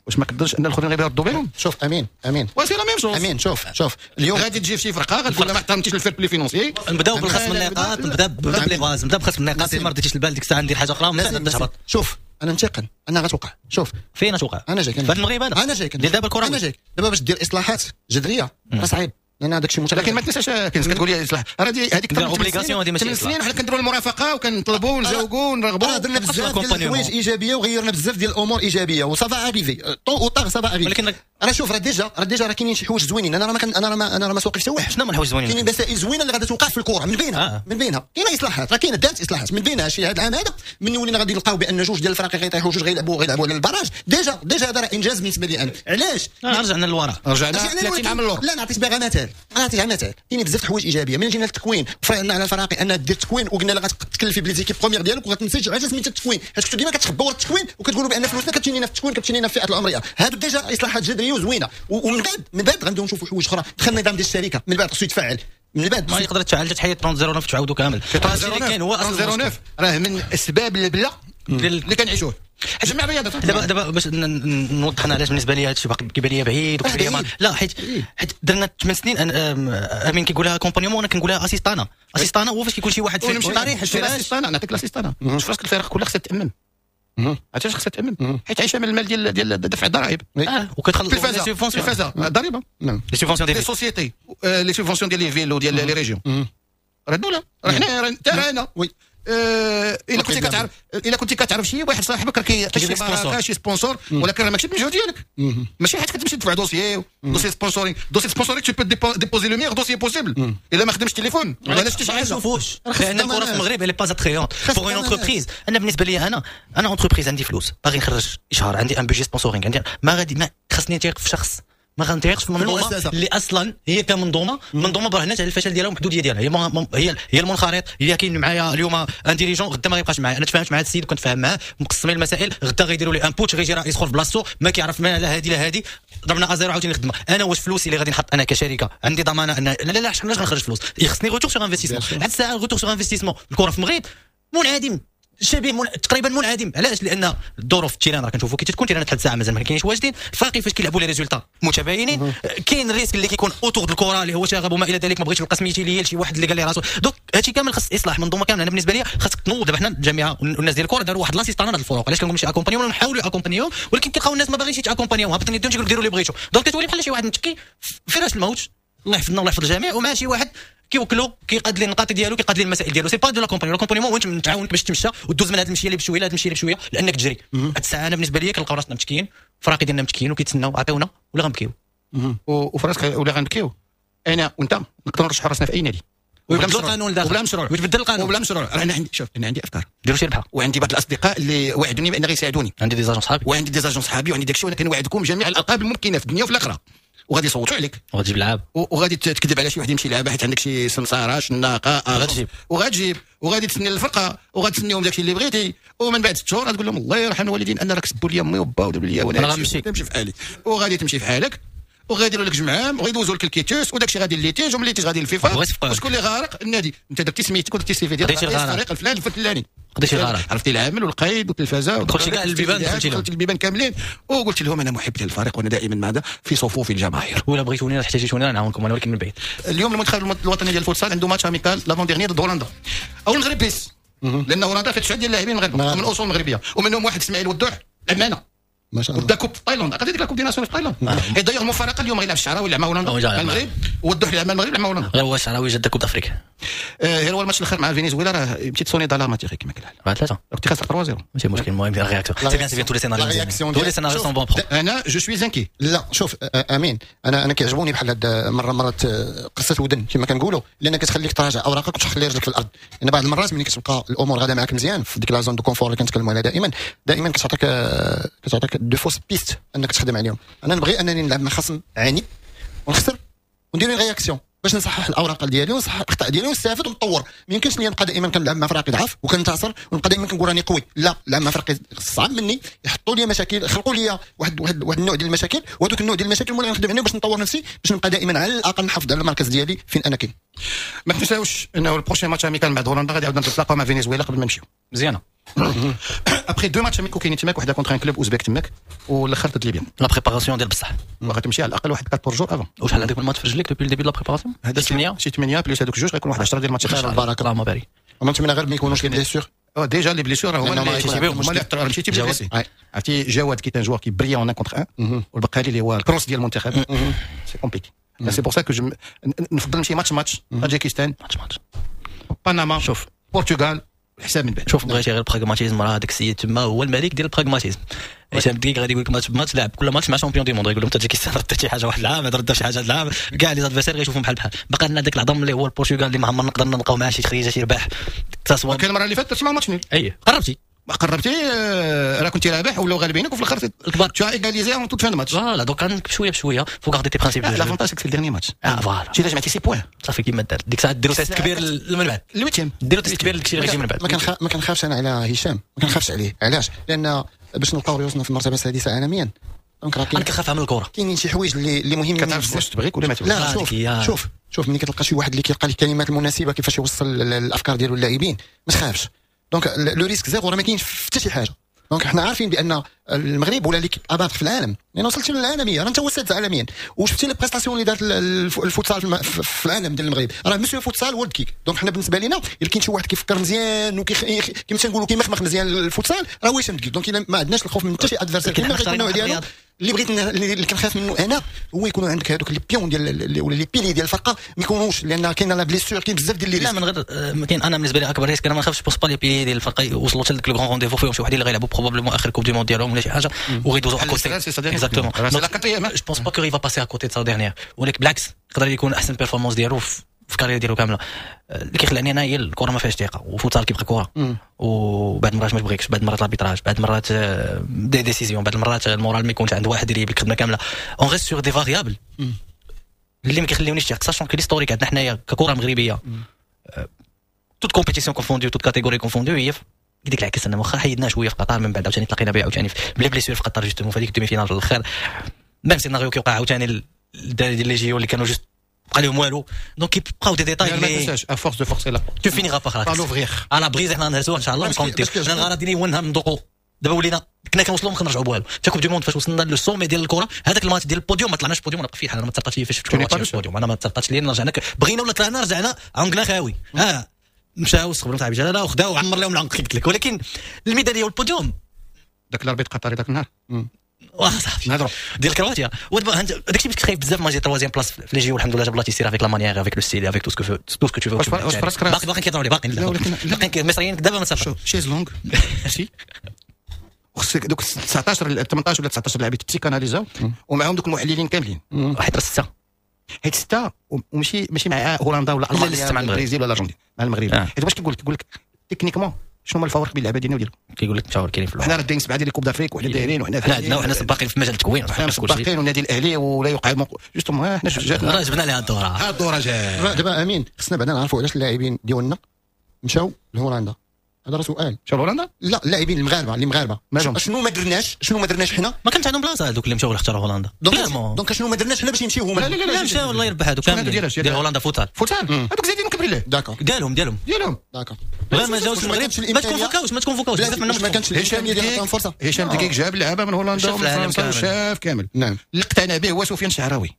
واش ما كدرش ان الاخرين غير يردوا بالهم؟ شوف امين امين c'est la même chose. امين شوف شوف اليوم غادي تجي في شي فرقه غتقول لها ما احترمتيش ال fair-play financier. نبداو بالخصم النقاط، نبدا ب les bases، نبدا بخصم النقاط. ما رديتيش البال ديك الساعة ندير حاجة اخرى من بعد تهبط. شوف انا متيقن انها غتوقع. شوف فين توقع؟ انا جايك في المغرب هذا، انا جايك ديال دابا الكره، انا جايك دابا باش دير اصلاحات جذرية راه صعيب، لان هذاك الشيء لكن ما تنساش كنت كتقول لي اصلاح راه هذيك obligation، هذه ماشي 8 سنين وحنا كنديروا المرافقة وكنطلبوا ونجاوبوا ونرغبوا. درنا بزاف ديال الحوايج ايجابية وغيرنا بزاف ديال الامور ايجابية و ça va arriver tôt ou tard ça va arriver. ولكن راه شوف راه déjà راه كاينين شي حوايج زوينين. انا راه ما انا راه ما انا راه ما سوقي حتى واحد. شنو هما الحوايج الزوينين؟ كاينين مسائل زوينة اللي غادي توقع في الكره من بينها من بينها كاينه اصلاحات، راه كاينه دارت اصلاحات من بينها شي هذا العام هذا من ولينا غادي نلقاو بان جوج ديال الفرق غيطيحوا، جوج غيلعبوا على ال barrage. déjà هذا راه انجاز بالنسبة لي انا. علاش؟ رجعنا للوراء، رجعنا 30 عام للور. لا نعطيك باغا مثال، انا نعطيك مثال. كاين بزاف الحوايج ايجابية. من جينا للتكوين فرعنا على الفراقي ان دير تكوين وقلنا لها غتكلفي ب les équipes premières ديالك وغتنسج علاش سميتها التكوين، حيت كنتو ديما كتخباو ورا التكوين وكتقولوا بان فلوسنا كتمشي لنا في التكوين، كتمشي لنا في الفئات العمرية. هادو déjà اصلاحات جذرية وزوينه. ومن بعد من بعد غنبداو نشوفوا حوايج اخرى. دخل النظام ديال الشركة من بعد خصو يتفعل، من بعد ما يقدر تفعل تحيد 30 تعاودوا كامل. كاين هو 30 راه من اسباب البلا اللي كنعيشوه جميع الرياضات. دابا باش نوضح انا علاش بالنسبة لي هادشي باقي كيبان لي بعيد وكيبان لي لا، حيت درنا 8 سنين. امين كيقولها accompagnement، انا كنقولها assistanat. assistanat هو فاش كيكون شي واحد في الطريق l'assistanat. نعطيك l'assistanat. شوف راسك الفرق كلها خصها تامن. عرفتي علاش خصها تامن؟ حيت عايشه من المال ديال دفع الضرائب. وكتخلص التلفازه ضريبة، les subventions ديال les sociétés، les subventions ديال les villes وديال les régions. راه الدولة راه حنا راه انا oui. الا كنتي كتعرف، الا كنتي كتعرف شي واحد صاحبك راه كيعطيك شي بركة شي sponsor، ولكن راه ماشي بالمجهود ديالك. ماشي حيت كتمشي تدفع dossier sponsoring، dossier sponsoring tu peux déposer le meilleur dossier possible. الا ما خدمش تليفون ولا شتي شي حاجة ما نشوفوش. لان الكره في المغرب elle est pas attrayante pour une entreprise. انا بالنسبة لي انا entreprise عندي فلوس باغي نخرج اشهار، عندي un budget sponsoring، عندي ما غادي ما خصني نتيق في شخص، ما غنتيقش في منظومة اللي اصلا هي كمنظومة منظومة برهنات على الفشل ديالها والمحدوديه ديالها. هي المنخرط، هي كاين معايا اليوم un dirigeant غدا ما غيبقاش معايا. انا تفاهمت مع هذا السيد وكنت فاهم معاه، مقسمين المسائل، غدا غيديروا لي un putsch، غيجي رئيس اخر في بلاصتو ما كيعرف ما لا هادي لا هادي، ضربنا à zéro عاوتاني الخدمة. انا واش فلوسي اللي غادي نحط انا كشركة عندي ضمانه ان لا لا لا علاش غنخرج فلوس؟ خصني retour sur investissement. هاد الساعة retour sur investissement الكره في المغرب منعدم، شبيه تقريبا منعدم. علاش؟ لان الظروف ال terrain راه كنشوفوا كي تكون terrain حد الساعة مازال ما كاينش واجدين، الفرق فاش كيلعبوا les résultats متباينين، كاين ال risque اللي كيكون autour de الكره اللي هو شغب وما الى ذلك، ما بغيتش نلقى سميتي ليا لشي واحد اللي قال لي راسو. donc هادشي كامل خاص اصلاح منظومة كاملة. انا بالنسبة لي خاصك تنوض. دابا حنا الجامعة والناس ديال الكره داروا واحد l'assistanat هاد الفروق. علاش كنقول ماشي accompagnement؟ نحاولوا accompagner هم، ولكن كيلقاو الناس ما باغينش يت accompagner هم، هابطين يديهم تيقولوا ديروا اللي بغيتو. donc كتولي بحال شي واحد متكي في فراش الموت، الله يحفظنا والله يحفظ الجميع، ومع شي واحد كيوكلو كيقاد لي النقاط ديالو، كيقاد لي المسائل ديالو. c'est pas de l'accompagnement. l'accompagnement هو انت نتعاونك باش تمشى وتدوز من هذه المشية اللي بشوية لهذه المشية اللي بشوية لانك تجري. هاد الساعة انا بالنسبة لي كنلقاو راسنا متكيين، فراقي ديالنا متكيين وكيتسناو عطيونا ولا غنبكيو. وفراسك ولا غنبكيو انا وانت نقدروا نرشحوا راسنا في اي نادي ويبدلوا القانون داخل وبلا مشروع، ويتبدل القانون وبلا مشروع. انا عندي شوف انا عندي افكار ديروا شي ربحه، وعندي بعض الاصدقاء اللي وعدوني بان غيساعدوني، عندي des agents صحابي، وعندي des agents صحابي، وعندي داكشي، وانا كنوعدكم جميع الالقاب الممكنة في الدنيا وفي الاخرة، وغادي يصوتوا عليك وغتجيب لعاب وغادي تكذب على شي واحد يمشي يلعب حيت عندك شي سمساره شناقه، غتجيب وغتجيب وغادي تسني الفرقة وغتسنيهم داكشي اللي بغيتي، ومن بعد 6 شهور غتقول لهم الله يرحم الوالدين انا راك سبوا لي امي وبا ودابا لي وانا غنمشي تمشي في حالي، وغادي تمشي في حالك وغيديروا لك جمعام وغيدوزوا لك ال quitus وداكشي غادي litige ومن litige غادي للفيفا، وشكون اللي غارق؟ النادي. انت درتي سميتك ودرتي ال CV ديال الفريق الفلان الفلاني، قضيتي الغرض، عرفتي العامل والقيد والتلفازه، دخلتي كاع البيبان، دخلتي البيبان كاملين، وقلت لهم انا محب للفريق وانا دائما مع في صفوف الجماهير، ولا بغيتوني ولا احتاجيتوني انا نعاونكم انا ولكن من بعيد. اليوم المنتخب الوطني ديال الفوتسال عنده match amical l'avant-dernier ضد هولندا او المغرب بيس، لان هولندا فيها 9 ديال اللاعبين المغاربة من اصول مغربية، ومنهم واحد اسماعيل ودوح لعب معنا ما شاء الله دا coupe في تايلاند، عقلتي ديك la coupe des nations في تايلاند. et d'ailleurs المفارقة اليوم غيلعب الشعراوي يلعب مع هولندا مع المغرب، والدوح يلعب مع المغرب يلعب مع هولندا. غير هو الشعراوي جا دا coupe d'Afrique. غير هو الماتش الاخر مع فنزويلا راه مشيت sonnette d'alarme تيغي كما قال 4-3 كنت خاسر 3-0 ماشي مشكل. المهم la réaction c'est bien، c'est bien، tous les scénarios، tous les scénarios sont bons. انا je suis inquiet. لا شوف امين، انا كيعجبوني بحال هاد مرة مرات قصة ودن كما كنقولوا، لان كتخليك تراجع اوراقك وتخلي رجلك في الارض. لان بعض المرات ملي كتبقى الامور غاده معاك مزيان في ديك la zone de confort اللي كنتكلموا عليها دائما دائما كتعطيك des fausses pistes انك تخدم عليهم. انا نبغي انني نلعب مع خصم عنيد ونخسر وندير une réaction. باش نصحح الاوراق ديالي ونصحح الاخطاء ديالي ونستافد ونطور. ما يمكنش لي نبقى دائما كنلعب مع فرق ضعف وكنتصر ونبقى دائما كنقول راني قوي. لا، لعب مع فرق صعب مني، يحطوا لي مشاكل، خلقوا لي واحد النوع ديال المشاكل، وهذوك النوع ديال المشاكل هما اللي غنخدم عليهم باش نطور نفسي، باش نبقى دائما على الاقل نحافظ على المركز ديالي فين انا كاين. ما تنساوش انه ال prochain match amical مع هولندا غادي عاودنا نتلاقاو مع فنزويلا قبل ما نمشيو. مزيانه. après deux matchs amicaux كاينين تماك، وحده contre un club اوزبيك تماك والاخر ضد ليبيا. la préparation ديال بصح وغتمشي على الاقل واحد 4 jours avant. وشحال عندك من ماتش في رجليك depuis le début de la préparation؟ هذا 8 شي 8 plus هذوك جوج غيكون واحد 10 ديال الماتشات. خير البركة، اللهم بارك. نتمنى غير ما يكونوش les blessures. déjà les blessures هما اللي هما اللي مشيتي blessé. عرفتي جواد qui est un joueur qui brille en 1 contre 1، والبقالي اللي هو الكروس ديال المنتخب c'est compliqué. c'est pour ça que نفضل نمشي match match، طاجيكستان match match، بنما، شوف البرتغال، الحساب من بعد. شوف بغيتي غير ال pragmatisme، راه هذاك السيد تما هو الملك ديال ال pragmatisme. هشام الدكيك غادي يقول لك match ب match، لعب كل ماتش مع champion du monde، يقول لهم تاجيكستان ردت شي حاجة واحد العام، هذا رد شي حاجة هذا العام، كاع les adversaires غيشوفهم بحال بحال. بقى لنا داك العظم اللي هو البرتغال اللي ما عمرنا نقدرنا نلقاو معاه شي تخريجه شي رباح. كان المرة اللي فاتت تسمع match nul. اي قربتي قربتي، راه كنتي رابح ولاو غالبينك وفي الاخر الكبار tu as égalisé en toute fin de match. voilà، donc عندك بشوية بشوية faut garder tes principes. l'avantage c'est le dernier match. اه voilà، شي جمعتي 6 points صافي كيما دار ديك الساعة ديروا test كبير من بعد ال huitième، ديروا test كبير لداكشي اللي غيجي من بعد. ما كنخافش انا على هشام، ما كنخافش عليه. علاش؟ لان باش نلقاو ريوسنا في المرتبة السادسة عالميا، donc راه انا كنخاف من الكره. كاينين شي حوايج اللي مهمين. كتعرف واش تبغيك ولا ما تبغيك. لا شوف شوف شوف، ملي كتلقى شي واحد اللي كيلقى الكلمات المناسبة كيفاش يوصل الافكار ديالو للاعبين، ما تخافش. donc le risque zéro راه ما كاينش في حتى شي حاجة. donc حنا عارفين بان المغرب ولا l'équipe à battre في العالم، لان وصلتي للعالمية، راه انت هو السادس عالميا، وشفتي les prestations اللي دارت الفوتسال في العالم ديال المغرب، راه monsieur futsal هو الدكيك. donc حنا بالنسبة لنا الا كاين شي واحد كيفكر مزيان وكيما تنقولوا كيمخمخ مزيان الفوتسال راه هو هشام الدكيك. donc الا ما عندناش الخوف من حتى شي adversaire كيما غيكون النوع ديالو. اللي بغيت اللي كنخاف منه انا هو يكونوا عندك هذوك les pions ديال ولا les piliers ديال الفرقة ما يكونوش، لان كاين la blessure، كاين بزاف ديال les risques. لا من غير كاين، انا بالنسبة لي اكبر risque انا ما نخافش pense pas les piliers ديال الفرقة يوصلوا حتى لك le grand rendez-vous، فيهم شي وحدين اللي غيلعبوا probablement اخر Coupe du Monde ديالهم ولا شي حاجة وغيدوزوا à côté. exactement، je pense pas qu'il va passer à côté de sa dernière، ولكن بالعكس يقدر يكون احسن performance ديالو في ال carrière ديالو كاملة. اللي كيخلعني انا هي الكره ما فيهاش ثقة، وفوتسال كيبقى كره، وبعد المرات ما تبغيكش، بعد المرات l'arbitrage، بعد المرات des décisions، بعد المرات ال moral ما يكونش عند واحد يريب الخدمة كاملة. on reste sur des variables اللي ما كيخليونيش ثق، sachant que l'historique عندنا حنايا ككره مغربية toutes compétitions confondues، toutes catégories confondues، هي ديك العكس. انا واخا حيدنا شوية في قطر، من بعد عاوتاني تلاقينا بها عاوتاني ب les blessures في قطر justement في هذيك ال demi-finale في الاخر، même scénario كيوقع عاوتاني الدراري ديال les JO اللي كانوا juste بقى لهم والو. donc كيبقاو des détails. ما تنساش à force de forcer la tu finiras par par l'ouvrir. à la briser، حنا نهرسوها ان شاء الله نكونتيو. انا الغرض ديالي هو ندوقوا. دابا ولينا كنا كنوصلوا ما كنرجعوا بوالو. حتى Coupe du Monde فاش وصلنا le sommet ديال الكره، هذاك الماتش ديال البوديوم ما طلعناش بوديوم. انا بقى في انا ما تسرقاتش لي فاش شفت البوديوم، انا ما تسرقاتش لي. رجعنا بغينا ولا طلعنا، رجعنا عنقنا خاوي. ها مشاو استقبلوا صاحبي جلاله وخداو وعمر لهم العنق قلت لك، ولكن الميداليه والبوديوم. ذاك l'arbitre قطري ذاك النهار. واه صافي نهضروا ديال كرواتيا. ودابا داكشي باش كنت خايف بزاف. ما j'ai troisième place في les JO، الحمد لله جاب الله تيسير avec la manière، avec le style، avec tout ce que tu veux. واش فراسك باقي كيهضروا لي باقي باقي المصريين دابا ما شوف chaise longue si خصك دوك 19 18 ولا 19 لاعب psychanalysاو ومعاهم دوك المحللين كاملين. حيت ستة، حيت ستة وماشي ماشي مع هولندا ولا المانيا ولا البرازيل ولا الارجنتين، مع المغرب. حيت واش كيقول لك techniquement شنو هما الفوارق بين اللعبة ديالنا وديالهم؟ كيقول لك مشاور كاينين في حنا راه دايرين سبعة ديال Coupes d'Afrique وحنا دايرين وحنا حنا عندنا وحنا سباقين في مجال التكوين. حنا سباقين والنادي الاهلي ولا يقع justement حنا جاتنا راه جبنا لها الدورة. ها الدورة جات. دابا امين خصنا بعدا نعرفوا علاش اللاعبين ديالنا مشاو لهولندا. هذا راه سؤال. مشاو لهولندا؟ لا، اللاعبين المغاربة اللي مغاربة شنو ما درناش، شنو ما درناش حنا؟ ما كانش عندهم بلاصة هذوك اللي مشاو اختاروا هولندا. donc شنو ما درناش حنا باش يمشيو هما؟ لا لا لا مشاو الله يربح هذوك كاملين ديال هولندا futsal. futsal هذوك زايدين كبر الله. d'accord. ديالهم ديالهم. d'accord. غير ما جاوش المغرب، ما تكونفوكاوش ما تكونفوكاوش بزاف منهم. ما كانش الامكانية ديال عطاهم فرصة. هشام دقيق جاب لعابه من هولندا ومن فرنسا وشاف كامل. نعم. اللي اقتنع به هو سفيان شعراوي،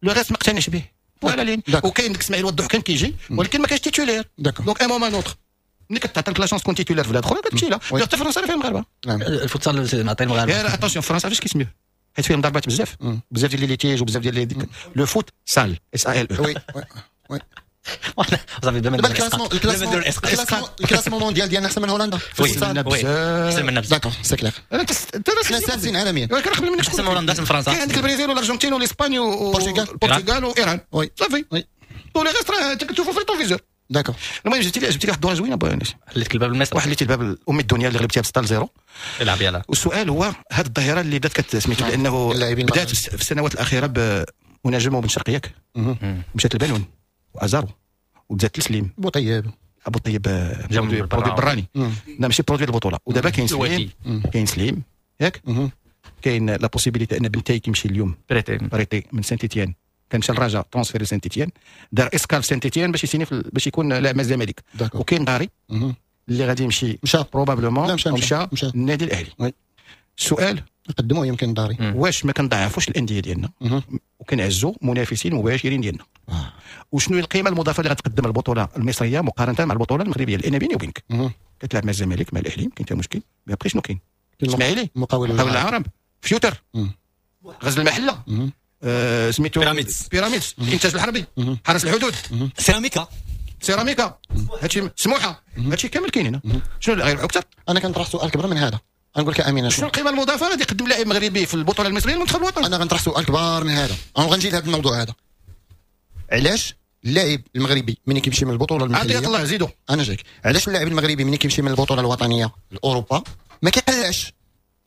le reste ما اقتنعش به. voilà لين وكاين ديك اسماعيل وضح كان كيجي ولكن ما كانش titulaire. donc à un moment ou un autre ملي كتعطيك la chance تكون titulaire في بلاد اخرى كتمشي لها. حتى فرنسا فيها المغاربة. الفوتسال معطي المغاربة. يا attention فرنسا فاش كيسميوه حيت فيهم ضربات بزاف بزاف ديال les litiges وبزاف ديال le foot sale S A L E. oui oui صافي دابا ال classement mondial ديالنا احسن من هولندا. احسن منا بزاف. d'accord c'est clair. حنا سادسين عالميا. ولكن قبل منك احسن من هولندا، احسن من فرنسا. كاين عندك البرازيل والارجنتين والاسبانيا والبرتغال وايران. صافي tout le reste راه تشوفوا في ال rétroviseur. d'accord. المهم جبتي لي واحد الدورة زوينة بو انس. حليت الباب لمصر. وحليتي الباب الام الدنيا اللي غلبتيها ب 6-0. العب يلاه. والسؤال هو هذه الظاهرة اللي بدات كتسميتو لانه بدات في السنوات الاخيرة ونجم وبن شرقي ياك، مشات لبانون وازارو وتزادت لسليم بوطيب. ابو طيب produit براني، لا ماشي produit البطوله. ودابا كاين سليم، كاين سليم ياك، كاين la possibilité ان بنتاي كيمشي اليوم prêté من سانتيتيان، كان مشى للرجاء transfert لسانتيتيان، دار escale في سانتيتيان باش يسيني باش يكون لاعب مع الزمالك. وكاين داري اللي غادي يمشي مشى probablement مشى النادي الاهلي. السؤال نقدموه يمكن داري، واش ما كنضعفوش الاندية ديالنا وكنعزوا منافسين مباشرين ديالنا؟ وشنو هي القيمة المضافة اللي غتقدم البطولة المصرية مقارنة مع البطولة المغربية؟ لان بيني وبينك كتلعب مع الزمالك مع الاهلي كاين حتى مشكل، mais après شنو كاين؟ اسماعيلي، مقاول العرب، فيوتر، غزل المحلة، سميتو بيراميدز، الانتاج الحربي، حرس الحدود، سيراميكا، هادشي سموحه، هادشي كامل كاين هنا. شنو اللي غيربحوا اكثر؟ انا كنطرح سؤال كبر من هذا، غنقول لك امين، شنو القيمة المضافة غادي يقدم لاعب مغربي في البطولة المصرية للمنتخب الوطني؟ انا غنطرح سؤال كبار من هذا، انا غنجي لهذا الموضوع هذا. علاش اللاعب المغربي ملي كيمشي من البطولة المحلية، عطية الله زيدو، انا جايك، علاش اللاعب المغربي ملي كيمشي من البطولة الوطنية لاوروبا ما كيقلعش؟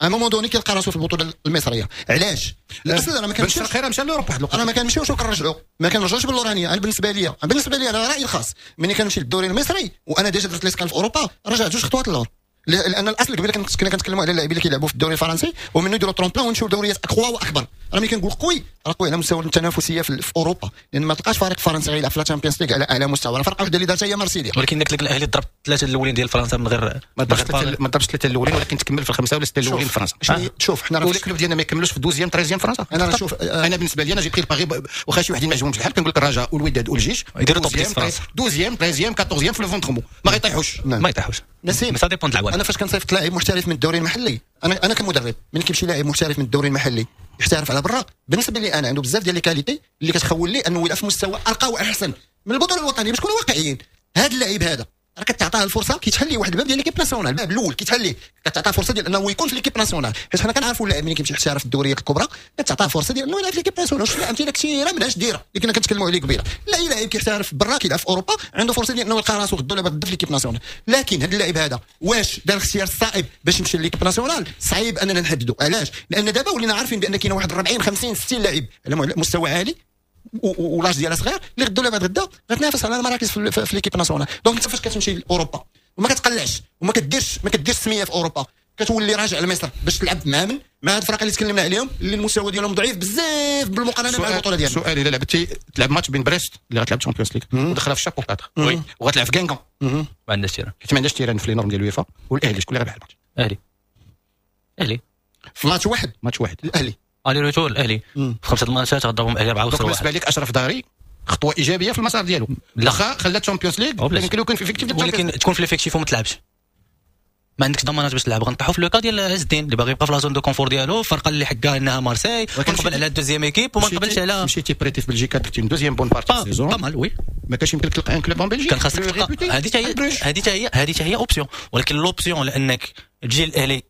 à un moment donné كيلقى راسو في البطولة المصرية. علاش؟ الاصل انا ما كنمشيوش خير مشى لاوروبا واحد الوقت، انا ما كنمشيوش وكنرجعوا، ما كنرجعوش باللورانيه. انا بالنسبة لي، انا رايي الخاص، ملي كنمشي للدوري المصري وانا déjà درت l'escale في اوروبا، رجعت جوج خطوات للور. لان الاصل قبيلة كنا كنتكلموا على اللاعبين اللي كيلعبوا في الدوري الفرنسي ومنه يديروا tremplin ونمشيو لدوريات اقوى واكبر. راه ملي كنقول قوي راه قوي على مستوى التنافسية في اوروبا، لان ما تلقاش فريق فرنسي غيلعب في la Champions League على اعلى مستوى. راه فرقه وحده اللي دارتها هي مارسيليا. ولكن قلت لك الاهلي ضرب ثلاثة الاولين ديال فرنسا من غير ما ضربش ثلاثة الاولين، ولكن تكمل في الخمسة ولا ستة الاولين في فرنسا. شوف حنا راه ال clubs ديالنا ما يكملوش في deuxième troisième فرنسا. انا شوف، انا بالنسبة لي انا j'ai pris le pari، واخا شي وحدين ما عجبهمش الحال، كنقول لك الرجاء والوداد والجيش يديروا top 10 فرنسا، deuxième troisième quatorzième في le ventre mou، ما غيطيحوش، ما يطيحوش. نسيم ça dépend العوامل. انا فاش كنصيفط لاعب محترف من الدوري المحلي، انا كمدرب ملي كيمشي لاعب محترف من الدوري المحلي يحترف على برا، بالنسبة لي انا عنده بزاف ديال les qualités اللي كتخول لي انه يلعب في مستوى ارقى واحسن من البطولة الوطنية. باش نكونوا واقعيين، هذا اللاعب هذا راه كتعطاه الفرصة كيتحل ليه واحد الباب ديال l'équipe nationale، الباب الاول كيتحل ليه، كتعطاه فرصة ديال انه يكون في l'équipe nationale، حيت حنا كنعرفوا اللاعب ملي كيمشي يحترف في الدوريات الكبرى كتعطاه فرصة ديال انه يلعب في l'équipe nationale. شفنا امثلة كثيرة منهاش ديرة اللي كنا كنتكلموا عليه قبيلة. لا اي لاعب كيحترف برا كيلعب في اوروبا عنده فرصة ديال انه يلقى راسو غدا ولا بعد في l'équipe nationale. لكن هذا اللاعب هذا واش دار الاختيار الصائب باش يمشي l'équipe nationale؟ صعيب اننا نحددوا. علاش؟ لان دابا ولينا عارفين بان كاين واحد 40 50 60 لاعب على مستوى عالي و l'âge ديالها صغير اللي غدا ولا بعد غدا غتنافس على المراكز في l'équipe nationale. donc انت فاش كتمشي لاوروبا وما كتقلعش وما كديرش سميه في اوروبا، كتولي راجع لمصر باش تلعب مع من؟ مع هاد الفرق اللي تكلمنا عليهم اللي المستوى ديالهم ضعيف بزاف بالمقارنة مع البطولة ديالنا. سؤال، الا لعبتي تلعب ماتش بين بريست اللي غتلعب Champions League ودخلها في chapeau 4 oui وغتلعب في كانغون، ما عندهاش terrain، حيت ما عندهاش terrain في les normes ديال اليوفا، والاهلي شكون اللي غيربح الماتش؟ الاهلي. الاهلي في ماتش واحد، ماتش واحد الاهلي aller-retour الاهلي في 5 الماتشات غضربهم الاهلي 4 وخسروا. بالنسبة لك اشرف داري خطوة ايجابية في المسار ديالو، واخا خلى Champions League يمكن يكون في effectif، ولكن تكون في l'effectif وما تلعبش، ما عندكش ضمانات باش تلعب. غنطيحوا في le cas ديال عز الدين اللي باغي يبقى في la zone de confort ديالو، الفرقة اللي حكا انها مارسي، ونقبل على ال deuxième équipe وما نقبلش على مشيتي prêté في بلجيكا درتي deuxième bonne partie saison pas mal oui، ما كانش يمكن لك تلقى un club en Belgique، كان خاصك تلقى هذه حتى هي option. ولكن l'option لانك تجي الاهلي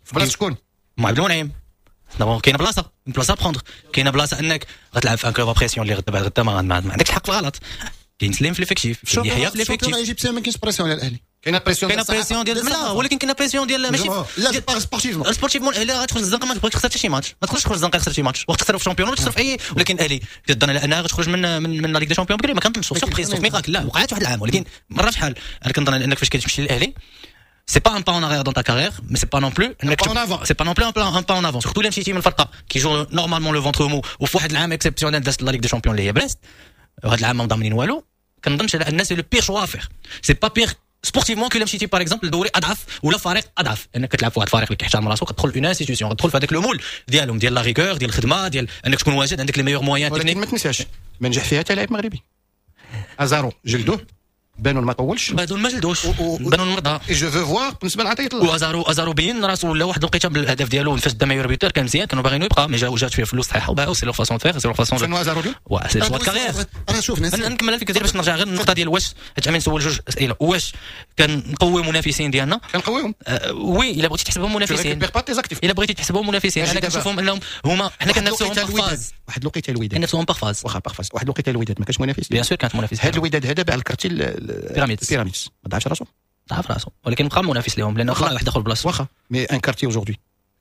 في بلاصة شكون؟ مع عبد المنعم كاينه بلاصة prendre، كاينه بلاصة انك غتلعب في un club à pression اللي غدا بعد غدا ما عندكش الحق في الغلط. كاين سليم في l'effectif، يحيى في l'effectif. ال égyptien ما كاينش pression على الاهلي، كاينه pression، كاينه pression ديال لا، ولكن كاينه pression ديال ماشي لا sportivement، sportivement الاهلي غتخرج الزنقة ما تبغيش تخسر حتى شي ماتش، ما تخرجش تخرج الزنقة تخسر شي ماتش، وقت تخسر في championnat تخسر في اي. ولكن الاهلي كتظن على انها غتخرج من la Ligue des champions بكري، ما كنظنش surprise sauf miracle، لا وقعت واحد العام ولكن مرة شحال. انا كنظن انك فاش كتمشي للاهلي c'est pas un pas en arrière dans ta carrière, mais c'est pas non plus c'est pas non plus un pas en avant. Surtout les مشيتي من فرقه qui joue normalement le ventre mou وفي واحد العام exceptionnel دازت la Ligue des Champions اللي هي بريست، وهذا العام ما ضامنين والو. كنظنش على ان c'est le pire choix à faire، c'est pas pire sportivement que مشيتي par exemple لدوري اضعف ولا فريق اضعف، انك كتلعب في واحد الفريق اللي كيحترم راسو، كتدخل une institution، كتدخل في هذاك le moule ديالهم ديال la rigueur ديال الخدمة ديال انك تكون واجد عندك les meilleurs moyens. ولكن ما تنساش ما نجح فيها حتى لاعب مغربي، ازارو جلدوه، بانون ما طولش، بانون ما جلدوش، بانون مرضى je veux voir بالنسبة لعطيه الله. وازارو ازارو بين راسو ولا واحد الوقيته بالهدف ديالو فاش دا meilleur buteur كان مزيان، كانوا باغينو يبقى mais جات فيه فلوس صحيحه وباعوا. c'est leur façon de faire، c'est leur façon شنو ازارو اليوم؟ c'est choix carrière. انا شوف نكمل الفكرة ديالي باش نرجع غير النقطة ديال واش حيت عمين نسول جوج اسئلة، واش كنقوي منافسين ديالنا؟ كنقويهم oui الا بغيتي تحسبهم منافسين، الا بغيتي تحسبهم منافسين انا كنشوفهم انهم هما حنا كنافسوهم par phase. واحد الوقيته الوداد كنافسوهم par phase، واخا par phase. واحد الوقيته الوداد ما كانش منافس، bien sûr كانت منافس. هذا الوداد هذا باع ال quartier بيراميدز ما ضعفش راسو، ضعف راسو ولكن بقى منافس لهم لانه طلع واحد دخل بلاصة. واخا mais un quartier aujourd'hui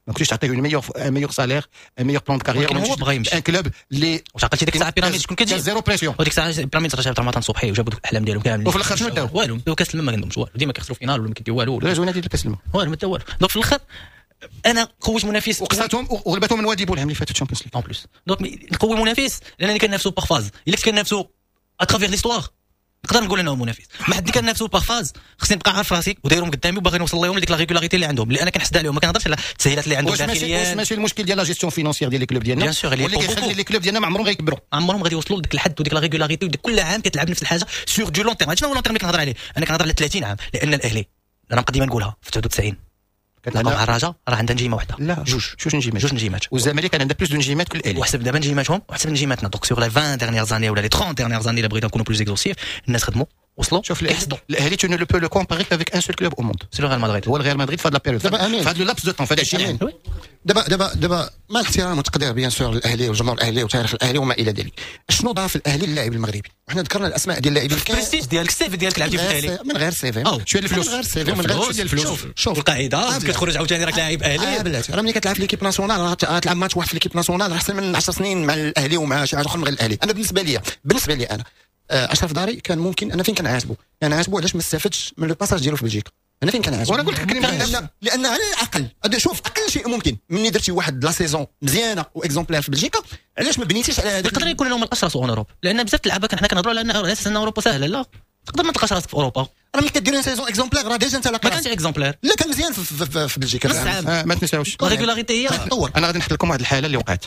ما كنتيش تعطيه un meilleur salaire، un meilleur plan de carrière. هو بغى يمشي un club اللي واش عقلتي ديك الساعة بيراميدز شكون كتجيب؟ zéro pression. وديك الساعة بيراميدز راه جابت رمضان صبحي وجابوا دوك الاحلام ديالهم كاملين، وفي الاخر شنو داو؟ والو، داو كاس الماء، ما عندهمش والو، ديما كيخسروا finale ولا ما كيديو والو. لا زوينة ديال كاس الماء والو، ما داو والو. donc في الاخر انا قويت منافس وقصاتهم وغلبتهم من وادي بولهم اللي فاتت ال Champions League en plus. donc نقوي منافس لانني كنافسو par phase. الا كنت كنافسو à travers l'histoire نقدر نقول انه منافس، ما حد كنافسو par phase خصني نبقى عارف راسي ودايرهم قدامي وباغي نوصل لهم لديك la régularité اللي عندهم، اللي انا كنحسد عليهم. ما كنهضرش على التسهيلات اللي عندهم داخليا. واش ماشي المشكل ديال la gestion financière ديال les clubs ديالنا؟ bien sûr، اللي كيخلي les clubs ديالنا ما عمرهم غيكبروا، عمرهم غادي يوصلوا لديك الحد وديك la régularité، وديك كل عام كتلعب نفس الحاجة sur du long terme. شنو هو long terme اللي كنهضر عليه؟ انا كنهضر على 30 عام، لان الاهلي انا ديما نقولها في 99 كتلعب مع الرجاء راه عندها نجيمه واحدة. لا، جوج نجيمات. جوج نجيمات. والزمالك كان عندها plus de نجيمات كل الاهلي. وحسب دابا نجيماتهم وحسب نجيماتنا. donc sur les 20 dernières années ولا les 30 dernières années الا بغينا نكونوا plus exhaustifs، الناس خدموا وصلوا. شوف، الاهلي tu ne le peux le comparer qu'avec un seul club au monde. c'est le Real Madrid. هو الريال مدريد في هاد la période، في هاد le laps de temps، في هاد 20 عام. دابا مع الاحترام والتقدير bien sûr الاهلي والجمهور الاهلي وتاريخ الاهلي وما الى ذلك، شنو ضاف الاهلي للاعب المغربي؟ وحنا ذكرنا الاسماء ديال اللاعبين. البريستيج ديالك، ال CV ديالك، لعبتي في الاهلي. من غير CV. شوية الفلوس. من غير CV، من غير شوية الفلوس. شوف القاعده، كتخرج عاوتاني راك لاعب اهلي. بلاتي، راه ملي كتلعب في l'équipe nationale راه تلعب ماتش واحد في l'équipe nationale احسن من 10 سنين مع الاهلي ومع شي حاجة اخرى من غير الاهلي. انا بالنسبه لي انا اشرف داري كان ممكن، انا فين كنعاتبو؟ كنعاتبو علاش ما استفدش من le passage ديالو في بلجيكا. انا فين كنعاتبو؟ وانا قلت لك. لان على الاقل، شوف، اقل شيء ممكن مني درتي واحد la saison مزيانه و exemplaire في بلجيكا، علاش ما بنيتيش على هذا؟ يقدر يكون لهم الاشرس en Europe، لان بزاف اللعابه حنا كنهضروا على اساس ان اوروبا سهله. لا، تقدر ما تلقاش راسك في اوروبا. راه ملي كدير saison exemplaire راه déjà انت ما كانش exemplaire. لا، كان مزيان في بلجيكا. نص عام. ما تنساوش la régularité هي تطور. انا غادي نحط لكم واحد الحالة اللي وقعت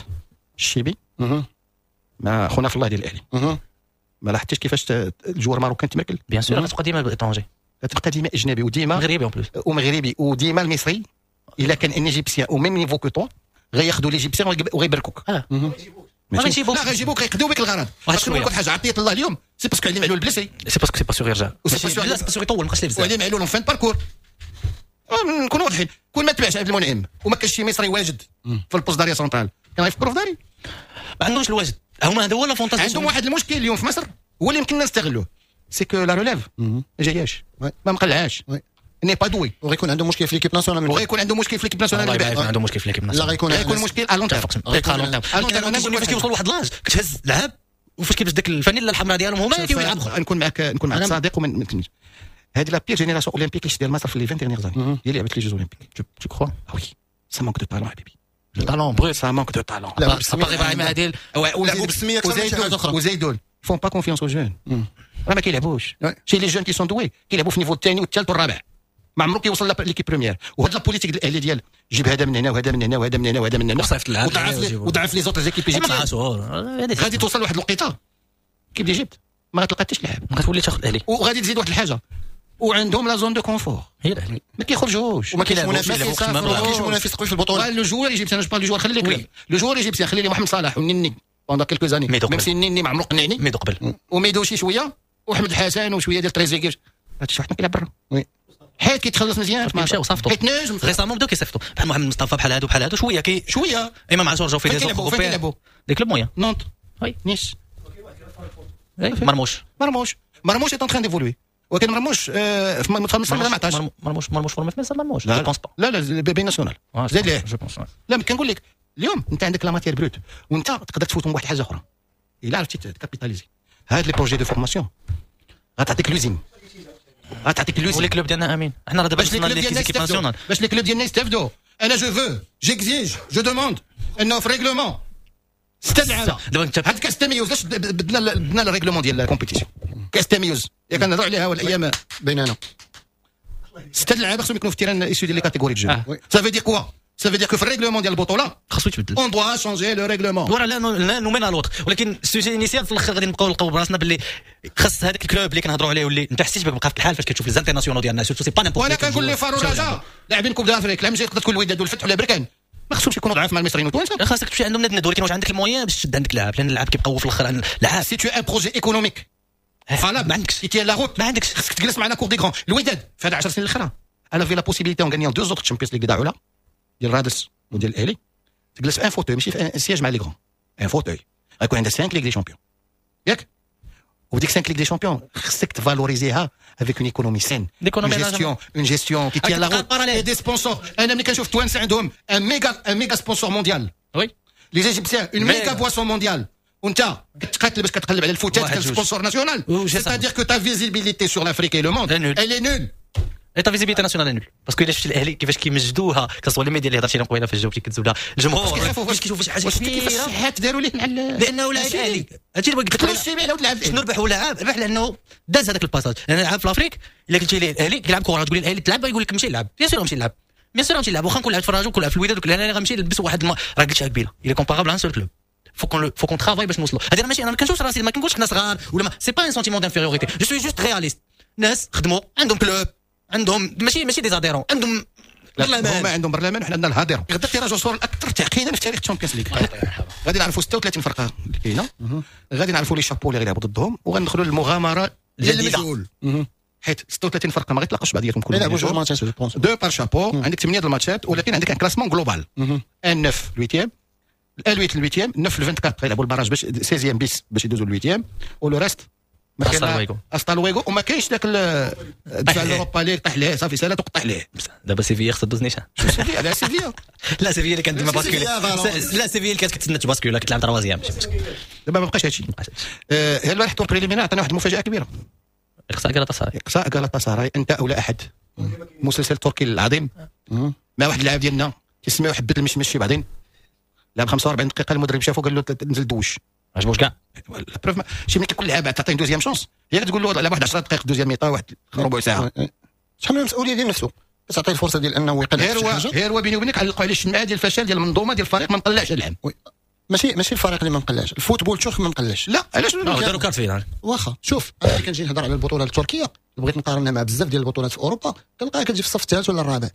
الشيبي مع خونا في الله ديال الاهلي. ما لاحظتيش كيفاش ال joueur marocain تمركل؟ bien sûr، غتبقى ديما étranger. تبقى ديما اجنبي وديما مغربي en plus. ومغربي، وديما المصري. الا كان un égyptien au même niveau que toi غياخذوا l'égyptien وغيبركوك. ما غيجيبوك. لا، غيجيبوك، غيقضيو بك الغرض. واحد شويه نقول حاجه، عطية الله اليوم c'est parce que علي معلول blessé. c'est parce que c'est pas sûr يرجع. لا، c'est pas sûr يطول، ما بقاش بزاف. وعلي معلول fin parcours، نكونوا واضحين، كون ما تبعش عبد المنعم وما كانش شي مصري واجد في ال poste d'arrière central كان غيفكروا في داري. ما عندهمش الواجد هما، هذا هو l'avantage. عندهم واحد المشكل اليوم في مصر هو اللي يمكننا نستغلوه، c'est que la relève ما جاياش، ما مقلعاش، n'est pas douée. وغيكون عنده مشكل في l'équipe nationale. وغيكون عنده مشكل في l'équipe nationale. الله، عنده مشكل في l'équipe nationale. لا، غيكون غيكون مشكل à long terme. à long terme. فاش كيوصل لواحد l'âge كتهز لعب، وفاش كيلبس ديك الفانيلا الحمراء ديالهم هما كيلعبوا. نكون معاك صادق ومن هذه la pire génération olympique اللي ديال مصر في les 20 dernières années هي اللي لعبت les Jeux olympiques. tu crois؟ oui، ça manque de talent حبيبي. talent brut. ça manque de talent. لا، ابراهيم عادل. ولعبوا بالسميه. وزيدون font pas confiance aux jeunes، راه ما كيلعبوش شي les jeunes qui sont doués، كيلعبوا في niveau الثاني والثالث والرابع، ما عمرو كيوصل l'équipe première. وهاد la politique الاهلي ديال جيب هذا من هنا وهذا من هنا وهذا من هنا وهذا من هنا وضعف les autres équipes égyptiennes، غادي توصل لواحد الوقيته équipe d'Égypte ما غتلقى حتى شي لاعب. غتولي تاخذ الاهلي. وغادي تزيد واحد الحاجه، وعندهم la zone de confort. هي الاهلي. ما كيخرجوش. وما كاينش منافس، ما كاينش منافس قوي في البطوله. le joueur égyptien، je parle du joueur، خلي لك le joueur égyptien، خلي لي محمد صلاح والنني pendant quelques années، même si النني ما عمرو قنعني. ميدو قبل. وميدو شي شويه، وحمد الحسن وشوية ديال تريزيغي، هادشي واحد ما كيلعب برا. oui. حيت كيتخلص مزيان. مشاو صافطوا. حيت نجم. récemment بداو كيصيفطوا بحال محمد مصطفى، بحال هادو بحال هادو شوية كي شويه. امام عاشور جاو في des فين كيلعبوا؟ des clubs moyens. Nantes. oui. Nice. مرموش. مرموش، مرموش est en train d'évoluer، ولكن مرموش في مصر ما عطاش. مرموش، مرموش formé في مصر مرموش؟ je pense pas. لا لا، B nationale زاد ليه. je pense. لا، كنقول لك اليوم انت عندك la matière brute وانت تقدر تفوتهم واحد الحاجة اخرى الا عرفتي capitaliser هاد les projets de formation، غتعطيك l'usine، غتعطيك l'usine. و les clubs ديالنا امين، حنا راه دابا باش les clubs ديالنا يستافدوا، باش les clubs ديالنا يستافدوا. انا je veux، j'exige، je demande انه في règlement ستة لعابه. دابا انت هاد كاس التميز، علاش بدنا ال règlement ديال ال compétition كاس التميز؟ يا كنهضروا عليها والايام بيننا. ستة لعابه خصهم يكونوا في ال terrain issus ديال les catégories de jeunes. ça veut dire quoi؟ ça veut dire que في ال règlement ديال البطولة خاصو يتبدل. on doit changer le règlement. voilà، لا l'un ولا l'autre، ولكن ال sujet initial في الاخر غادي نبقاو نلقاو براسنا باللي خاص هذاك ال club اللي كنهضروا عليه، واللي انت حسيت بك بقى في الحال فاش كتشوف les internationaux ديالنا، surtout c'est pas n'importe. وانا كنقول les FAR والرجاء لاعبين Coupe d'Afrique العام الجاي، تقدر تكون الوداد والفتح ولا بركان، ما خصهمش يكونوا ضعاف مع المصريين والتوانسه. خاصك تمشي عندهم ند، ولكن واش عندك ال moyens باش تشد عندك لاعب؟ لان اللاعب كيبقاو في الاخر لاعب. si tu as un projet économique valable ما عندكش. qui tient la route ما عندكش. خصك تجلس مع la cour des grands. الوداد في هاد 10 سنين الاخرى elle avait la possibilité en gagnant deux autres Champions League ضاعوا ديال رادس وديال الاهلي، تجلس في un fauteuil، ماشي في un siège، مع les grands، un fauteuil، غيكون عندها 5 Ligues des champions، ياك؟ وديك 5 Ligues des Champions خصك تفالوريزيها avec une économie saine, gestion, une gestion qui tient la route, des sponsors. انا ملي كنشوف التوانسة عندهم un méga sponsor mondial, oui, les Égyptiens une méga boisson mondiale, وانت كتقاتل باش كتقلب على الفتات كال sponsor national, c'est-à-dire que ta visibilité sur l'Afrique et le monde, elle est nulle. Et ta visibilité nationale nulle, parce que الا شفتي الاهلي كيفاش كيمجدوها, que ce soit les médias اللي هضرتي لهم قبيلة فاش جاوبتي كتزولها الجمهور كيفاش كيشوفوا شي حاجة كبيرة, كيفاش الشحات داروا ليه مع لانه لاعب الاهلي. هادشي اللي قلت لك, شنو ربح ولا عاب؟ ربح لانه داز هذاك ال passage. لان لعب في l'Afrique, الا قلتي ليه الاهلي كيلعب كره, تقول لي الاهلي تلعب, يقول لك مشي يلعب. bien sûr مشي يلعب, bien sûr مشي يلعب. واخا نكون لعبت في الرجاء ونكون لعب في الوداد, انا غنمشي نلبس واحد راه قلتها قبيلة, il est comparable à un seul club. faut qu'on travaille باش نوصلوا. هذه ماشي انا ما كنشوفش راسي, ما كنقولش حنا صغار ولا ما, c'est pas un sentiment d'infériorité, je suis juste réaliste. ناس خدموا, عندهم club, عندهم ماشي des adhérents, عندهم برلمان. هما عندهم برلمان وحنا عندنا الهادر. غدا ال tirage au sort الاكثر تعقيدا في تاريخ ال Champions League. غادي نعرفوا 36 فرقه اللي كاينه, غادي نعرفوا les chapeaux اللي غيلعبوا ضدهم, وغندخلوا للمغامره الجديده. حيت 36 فرقه ما غيتلاقوش بعضياتهم كلهم. يلعبوا جوج ماتشات je pense. deux par chapeau, عندك 8 الماتشات, ولكن عندك un classement global, 1 9 8, 8 8, 9 24 غيلعبوا ال barrage باش 16 bis باش يدوزوا ال huitième, و le reste hasta luego. hasta luego. وما كاينش ذاك دفع l'Europa League, طيح ليه, صافي سالا تقطع ليه. دابا سيفيا خصها دوز نيشان. سيفيا؟ على سيفيا؟ لا, سيفيا اللي كانت ديما basculer. لا, سيفيا اللي كانت كتسنى تباسكولي, كتلعب troisième, ماشي مشكل. دابا ما بقاش هادشي. البارح tour préliminaire عطانا واحد المفاجاة كبيره. اقصاء غالاتا. اقصاء غالاتا سراي, انت او لا احد, مسلسل تركي العظيم, مع واحد اللاعب ديالنا تسميو حبه المشمش. شي بعدين لعب 45 دقيقه, المدرب شافو قال له نزل دوش. عجبوش كاع. preuve شي ملي كيكون لعاب تعطيه deuxième chance, هي تقول له لعب واحد 10 دقائق deuxième mi-temps, واحد ربع ساعه. شحال من المسؤولية ديال نفسه, تعطيه الفرصة ديال انه يقلع. غير هو غير هو بيني وبينك علقوا عليه الشمعة ديال الفشل ديال المنظومة ديال الفريق, ما مقلعش العام. ماشي الفريق اللي ما مقلعش, ال football turc ما مقلعش. لا, علاش؟ داروا quart de finale. واخا, شوف, انا ملي كنجي نهضر على البطولة التركية بغيت نقارنها مع بزاف ديال البطولات في اوروبا, كنلقاها كتجي في الصف الثالث ولا الرابع.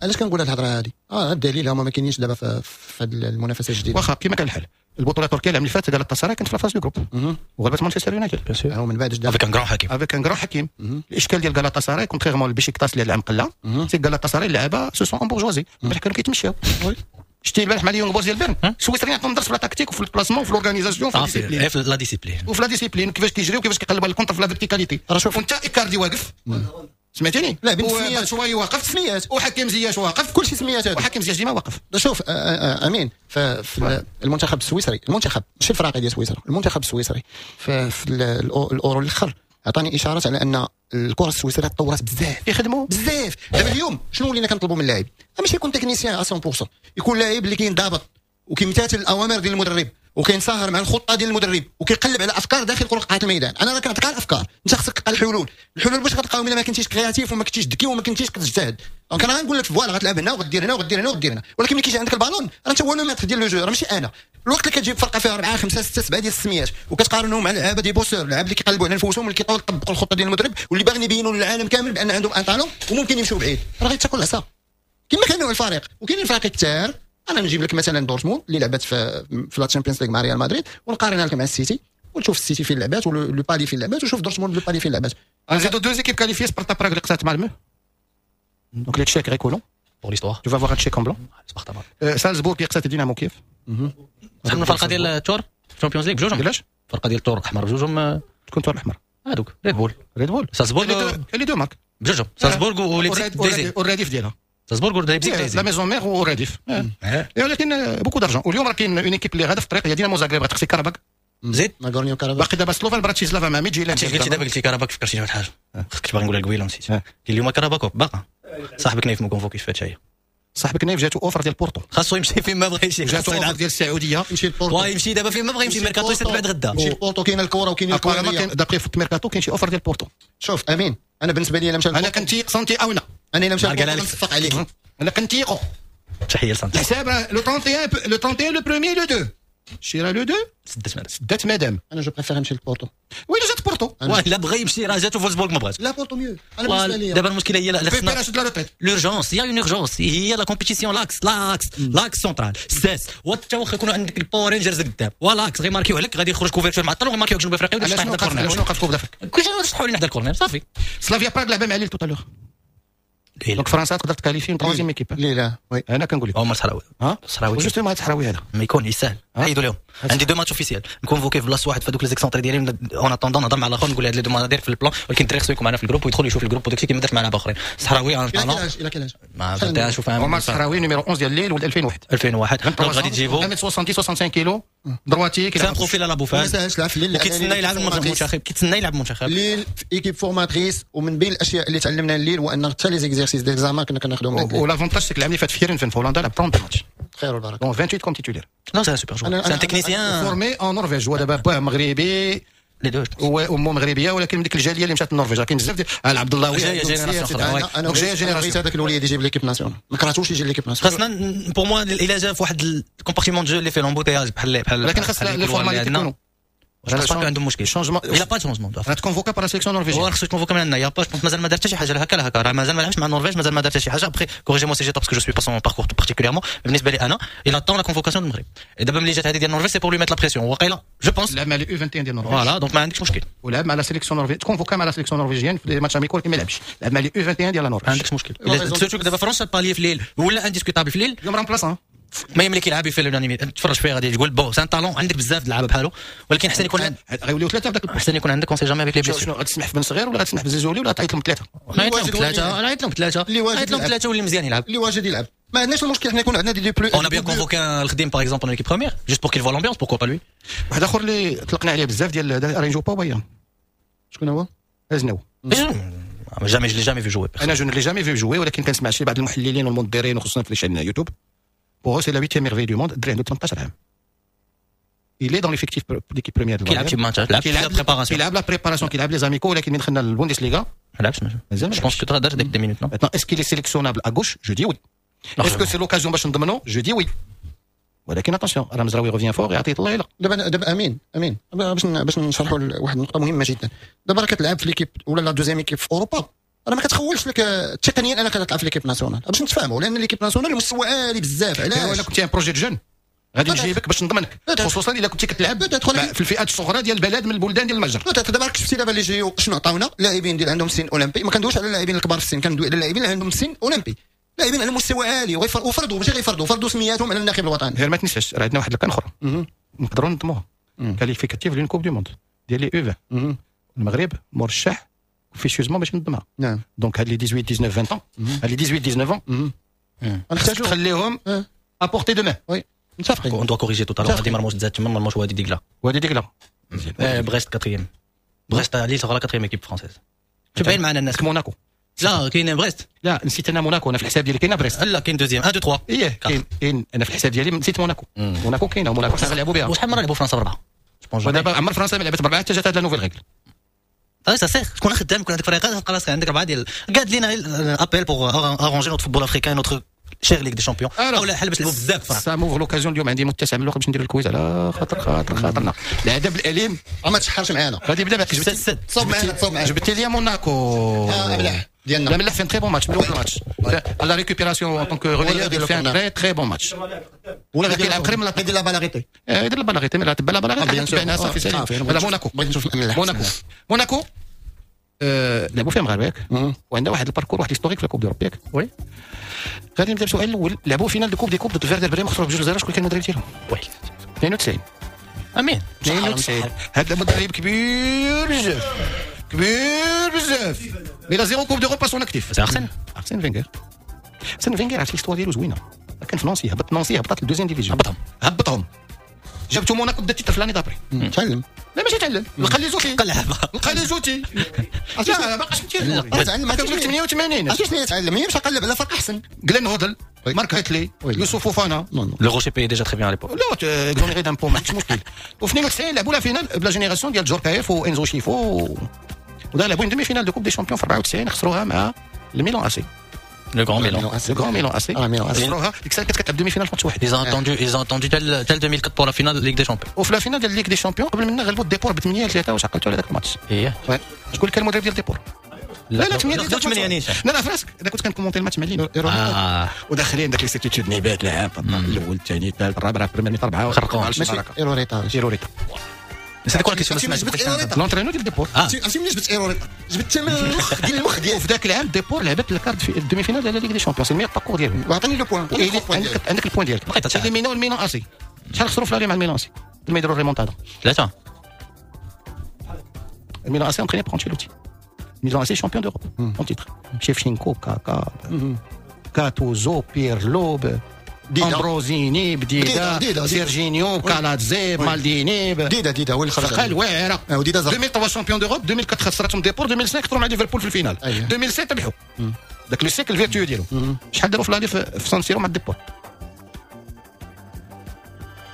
علاش كنقول هاد الهضرة هذه؟ الدليل هما ما كاينينش دابا في هذه المنافسة الجديده. واخا كما كان الحال, البطولة التركية العام اللي فات غالاتا سراي كانت في la phase de groupes وغلبت مانشستر يونايتد. bien sûr. ومن بعد avec un grand حكيم. avec un grand حكيم. الاشكال ديال غالاتا سراي, contrairement البيشيكتاس اللي العام قلا, c'est غالاتا سراي اللعابه se sont embourgeoisés. البارح كانوا كيتمشاو. شتي البارح مع les Young Boys ديال بيرن, السويسريين عطاهم درس في la tactique وفي ال placement وفي l'organisation وفي ال discipline, في la discipline. وفي la discipline, كيفاش كيجري وكيفاش كيقلب على ال contre في la verticalité. وانت ايكاردي واقف, سمعتيني؟ لا بين شوية واقف. سميات. وحكيم زياش واقف. كلشي سميات. وحكيم زياش ديما واقف. شوف امين, في المنتخب السويسري, المنتخب ماشي الفراقي ديال سويسرا, المنتخب السويسري في الاورو الاخر عطاني اشارات على ان الكره السويسريه تطورت بزاف. يخدموا. بزاف. دابا اليوم شنو ولينا كنطلبوا من اللاعب؟ ماشي يكون technicien 100%, يكون لاعب اللي كينضبط وكيمتثل الاوامر ديال المدرب وكينصهر مع الخطة ديال المدرب وكيقلب على افكار داخل قاعة الميدان. انا راه كنعطيك الافكار, انت خصك تلقى الحلول. الحلول باش غتلقاهم الا ما كنتيش créatif وما كنتيش ذكي وما كنتيش كتجتهد؟ donc انا غنقول لك voilà, غتلعب هنا وغدير هنا وغدير هنا وغدير هنا, ولكن ملي كيجي عندك البالون راه انت هو le maître ديال le jeu, راه ماشي انا. الوقت اللي كتجيب فرقه فيها 4 5 6 7 ديال السميات وكتقارنهم مع لعابه des bosseurs, لعاب اللي كيقلبوا على نفوسهم واللي كيطوروا يطبقوا الخطة ديال المدرب واللي باغيين يبينوا للعالم كامل بان عندهم un talent وممكن يمشوا بعيد, راه غيتاكل العصا كما كان نوع الفريق. وكاينين فرق كثار. انا نجيب لك مثلا دورتموند اللي لعبت في la Champions League مع ريال مدريد ونقارنها لك مع السيتي, وتشوف السيتي فين لعبات و le Paris فين لعبات, وشوف دورتموند le Paris فين لعبات. نزيدو deux équipes qualifiées, سبارتا براغ اللي قصات مالمو, donc les Tchèques غيكونوا pour l'histoire. tu vas voir un Tchèque en blanc. سبارتا براغ. سالزبورغ اللي قصات دينامو كيف. شحال من فرقه ديال التور Champions League بجوجهم؟ علاش؟ الفرقة ديال التور الاحمر بجوجهم. تكون تور الاحمر؟ هذوك ريد بول. ريد بول. سالزبورغ. les deux marques. بجوجهم, سالزبورغ وليبزيك. والرديف ديالها. سالزبورغ وليبزيك. la maison mère والرديف, ولكن beaucoup d'argent. واليوم راه كاين une équipe اللي غادا في الطريق, هي دينامو زاغريب غتقصي كاراباك. زيد. ناغورنيو كاراباك. باقي دابا سلوفان براتيسلافا مع ميدجيلاند. قلتي دابا, قلتي كاراباك, فكرتيني واحد الحاجة كنت باغي نقولها قبيلة ونسيت. اليوم كاراباك باقا صاحبك نايف ما كونفوكيش في هادشي. صاحبك نايف جاتو offre ديال بورتو. خاصو يمشي فين ما بغى يمشي. جاتو offre ديال السعوديه. يمشي لبورتو. يمشي دابا فين ما بغى يمشي, ميركاتو يسد بعد غدا. يمشي لبورتو, كاين الكره وكاين الكره. d'après foot mercato كاين شي offre ديال بورتو. شوف امين, انا بالنسبة لي الا مشى انا كنتيق سنتي او لا. انا الا مشى نصفق عليك. انا كنتيقو. تحية لسانتي. الحساب le 31, le 31, le premier, le 2 شيرا le 2. سدات مدام. سدات مدام. انا je préfère نمشي لبورتو. وين جات بورتو؟ لا بغى يمشي, راه جاتو فولسبورغ ما بغاش. لا, بورتو mieux انا بالنسبة لي. دابا المشكلة هي لا خصنا l'urgence, y a une urgence, هي la compétition, l'axe l'axe l'axe central الساس. وحتى واخا يكونوا عندك ال Power Rangers قدام و l'axe غيماركيو عليك, غادي يخرج couverture معطل وغيماركيو جنوب افريقيا. ولا شنو وقف؟ شنو وقف Coupe d'Afrique؟ كلشي شطحوا لنا حدا ال corner صافي. سلافيا براغ لعبه مع ليل tout à l'heure. donc فرنسا تقدر ت qualifier troisième équipe. لا oui انا كنقول لك هما الصحراوي. ها الصحراوي justement هاد الصحراوي هذا ما يكون يسهل حيدوا لهم. عندي deux matchs officiels ن convoquer في بلاصة واحد في هذوك les excentrés ديالي en attendant نهضر مع الاخر نقول هاد les deux داير في ال plan، ولكن الدري خصو يكون معنا في ال groupe ويدخل يشوف ال groupe وداكشي كيما درت مع لعابه اخرين. الصحراوي un talent الى quel âge ما بدي اشوف عمر الصحراوي numéro 11 ديال ليل ولد 2001 2001 donc غادي تجيبو 70 65 كيلو droitier. c'est un profil à la بوفال. ما ساهلش لعب في ليل وكيتسنى يلعب المنتخب، كيتسنى يلعب المنتخب ليل في équipe formatrice. ومن بين الاشياء اللي تعلمنا ليل هو ان حتى les exercices d'examen كنا كناخذهم. و l'avantage c'est العام اللي فات في هيرنفين في هولندا لعب 30 ماتش. خير والبركة. donc 28 comme titulaire. non c'est un super joueur، c'est un technicien formé en Norvège. هو دابا باه مغربي les deux وامه مغربية، ولكن من ديك الجالية اللي مشات للنرويج كاين بزاف ديال عبد الله. جاية génération اخرى. انا جاية génération. بغيت هذاك الوليد يجيب l'équipe nationale، ما كرهتوش يجي l'équipe nationale. خاصنا pour moi الا جا في واحد ال compartiment de jeu اللي فيه l'embouteillage بحال بحال ولكن خاص les formalités يكونوا. je pense عندهم مشكل changement. il a pas changement. راه ت convoqua par sélection norvégienne. هو خصو يت convoqua من عندنا. y a pas je مازال ما دار حتى شي حاجة لا هكا لا هكا، راه مازال ما لعبش مع النرويج، مازال ما دار حتى شي حاجة. après corrigez-moi si j'ai tort parce que je suis pas son parcours particulièrement. بالنسبة لي انا il attend la convocation المغرب. دابا ملي جات هذه ديال النرويج c'est pour lui mettre la pression وقيلا je pense. لعب مع les U21 ديال النرويج. voilà donc ما عندكش مشكل. ولعب مع la sélection norvégienne، ت convoqua مع la sélection norvégienne في matchs amicaux ما لعبش. لعب مع les U21 ديال النرويج. ما عندكش مشكل. surtout دابا فرنسا بالي في ليل ولا indiscutable في ليل. يوم remplaçant ما ملي كيلعب في l'unanimité تفرج فيه غادي تقول bon c'est un talent، عندك بزاف د اللعابه بحالو، ولكن حسن يكون عندك غيوليو ثلاثة في ذاك. حسن يكون عندك on sait jamais avec les blessures. شنو غتسمح في بن صغير ولا غتسمح في زيزولي ولا تعيط لهم ثلاثة؟ نعيط لهم ثلاثة، نعيط لهم ثلاثة، نعيط لهم ثلاثة واللي مزيان يلعب. اللي واجد يلعب، ما عندناش المشكل حنا يكون عندنا des plus. On a bien convoqué الخديم par exemple en équipe première juste pour qu'il voit l'ambiance, pourquoi pas lui. واحد اخر اللي طلقنا عليه بزاف ديال رينجو با. شكون هو؟ ازناو. jamais je l'ai jamais vu jouer. انا je l'ai jamais vu jouer، ولكن كنسمع شي بعض المحللين والمنظرين وخصوصا في chaîne YouTube. Pour eux, c'est la huitième merveille du monde. الدري عنده 18 عام. Il est dans l'effectif d'équipe première. كيلعب شي ماتشات، لعب la préparation. كيلعب la préparation، كيلعب les amicaux، ولكن من دخلنا للبوندسليغا ما لعبش. مازال. je pense que دار ديك des minutes non. Maintenant, est-ce qu'il est sélectionnable à gauche؟ Je dis oui. Est-ce que c'est l'occasion باش نضمنو؟ Je dis oui. ولكن attention، راه مزراوي revient fort يعطيه الله يلا. دابا امين امين باش نشرحوا واحد النقطة مهمة جدا. دابا راه كتلعب في l'équipe ولا la deuxième équipe في اوروبا، راه ما كتخولش لك تقنيا انك تلعب في l'équipe nationale، باش نتفاهموا، لان l'équipe nationale المستوى عالي بزاف. علاش؟ الا كنتي un projet jeune غادي نجيبك باش نضمنك، خصوصا الا كنتي كتلعب في الفئات الصغرى ديال البلد من البلدان ديال المجر. دابا راك شفتي دابا les JO شنو عطاونا لاعبين ديال عندهم سن اولمبي. ما كندويش على اللاعبين الكبار في السن، كندوي على اللاعبين اللي عندهم سن اولمبي، لاعبين على مستوى عالي وفرضوا ماشي غيفرضوا، فرضوا سمياتهم على الناخب الوطني. غير ما تنساش راه عندنا واحد ال CAN اخرى نقدروا ننظموها qualificative ل une Coupe du Monde ديال les U20. المغرب مرشح officieusement باش ننظمها. نعم. donc هاد les 18 19 20 هاد les 18 19 نحتاجو تخليهم à portée de main. oui متفقين. on doit corriger tout à l'heure. غادي مرموش تزاد تما، مرموش وادي ديكلا. وادي ديكلا. بريست quatrième، بريست ليل sera quatrième équipe française. تبين معنا الناس موناكو. لا كاين بريست. لا نسيت انا موناكو، انا في الحساب ديالي كاينه بريست. لا كاين deuxième 1 2 3. ايه كاين انا في الحساب ديالي نسيت موناكو. موناكو كاينه، موناكو حنا غنلعبوا بها. وشحال مرة لعبوا فرنسا بربعه؟ ودابا عمر فرنسا ما لعبت بربعه حتى جات هاد la nouvelle règle. ça sert تكون خدام يكون عندك فريق تلقى راسك عندك اربعة ديال قاد لينا appel pour arranger notre football africain, notre chère Ligue des Champions او لا حل باش نلعبوا بزاف. ça m'ouvre l'occasion اليوم عندي متسع من الوقت باش ندير ال quiz على خاطر خاطرنا العذاب الاليم. ما تشحرش معانا. غادي يبدا معك. جبت تصوب معنا تصوب معنا. جبت لي موناكو. ملاح ديالنا. لا ملاح fait très bon match من اول ماتش à la récupération en tant que relayeur, il fait un très très bon match. ولا غادي يلعب قريب من يدير la balle arrêtée. يدير la balle arrêtée، mais la balle arrêtée صافي سالي. هذا موناكو. بغيت نشوف موناكو. موناكو لعبوا فيها مغاربة ياك، وعندها واحد ال parcours واحد historique في la Coupe d'Europe ياك. oui. غادي نبدا بسؤال الاول. لعبوا finale de Coupe des Coupes ضد فيردر بريم، خسروا ب2-0. شكون كان المدرب ديالهم؟ oui. 92. امين. 92. هذا مدرب كبير بزاف، كبير بزاف، mais zéro Coupe d'Europe à son actif. c'est ارسن. ارسن فينغر. ارسن فينغر عرفتي l'histoire ديالو زوينة. كان في نانسي، هبط نانسي، هبطت لل deuxième division. هبطهم. هبطهم، جابتو موناكو دا titre في l'année d'après. تعلم. لا ماشي تعلم، لقى les outils. قلعبه. لقى les outils. لا ما بقاش تعلم. كنقول لك 88. عرفتي شنو يتعلم؟ هي مشى قلب على فرق احسن. جلين هودل، مارك هيتلي، يوسف فوفانا. le Rocher payait déjà très bien à l'époque. لا exonéré d'impôts ما عندكش مشكل. وفي 92 لعبوا la finale ب la génération ديال جوركايف وانزو شيفو، ودا لعبوا demi-finale de Coupe des Champions في 94، خسروها مع الميلان AC. le grand Milan. le grand Milan AC. ميلان AC. خسروها ديك الساعة كانت كتلعب demi-finale في ماتش واحد. Ils ont attendu, ils ont attendu tel 2004 pour la finale Ligue des Champions. وفي la finale ديال Ligue des Champions قبل منا غلبوا ديبور ب 8-3. واش عقلتوا على ذاك الماتش؟ ايه. شكون كان المدرب ديال ديبور؟ لا لا 8. 8 نيشان. لا لا فراسك انا كنت كن commenter الماتش مع لين وداخلين داك les certitudes نيبات لعب الاول الثاني الثالث الرابع première mi-temps اربعة. خرقوهم. ماشي ايروريتا. ايروريتا. c'était quoi la question؟ l'entraîneur ديال ديبور. عرفتي منين جبت ايروريتا؟ جبت من المخ ديال المخ ديالي. وفي ذاك العام ديبور لعبت ال quart في ال demi-finale على Ligue des Champions، ال meilleur parcours ديالهم. وعطيني le point. عندك ال point ديالك. éliminaو الميلان AC. شحال خسروا في l'aller مع الميلان AC لما يديروا الريمونتادا؟ 3. الميلان AC entraîné par انشيلوتي. ميلان AC champion d'Europe en titre. شيفشينكو، كاكا، كاتوزو، بيرلو، امبروزيني، بديدا، سيرجينيو، كالاتزي، مالديني. ديدا هو اللي خرج. فرقه الواعره. 2003 champion d'Europe، 2004 خسرتهم ديبور، 2005 خسروا مع ليفربول في ال finale، 2007 ربحوا. ذاك le cycle vertueux ديالو. شحال داروا في l'aller في سان سيرو مع ديبور؟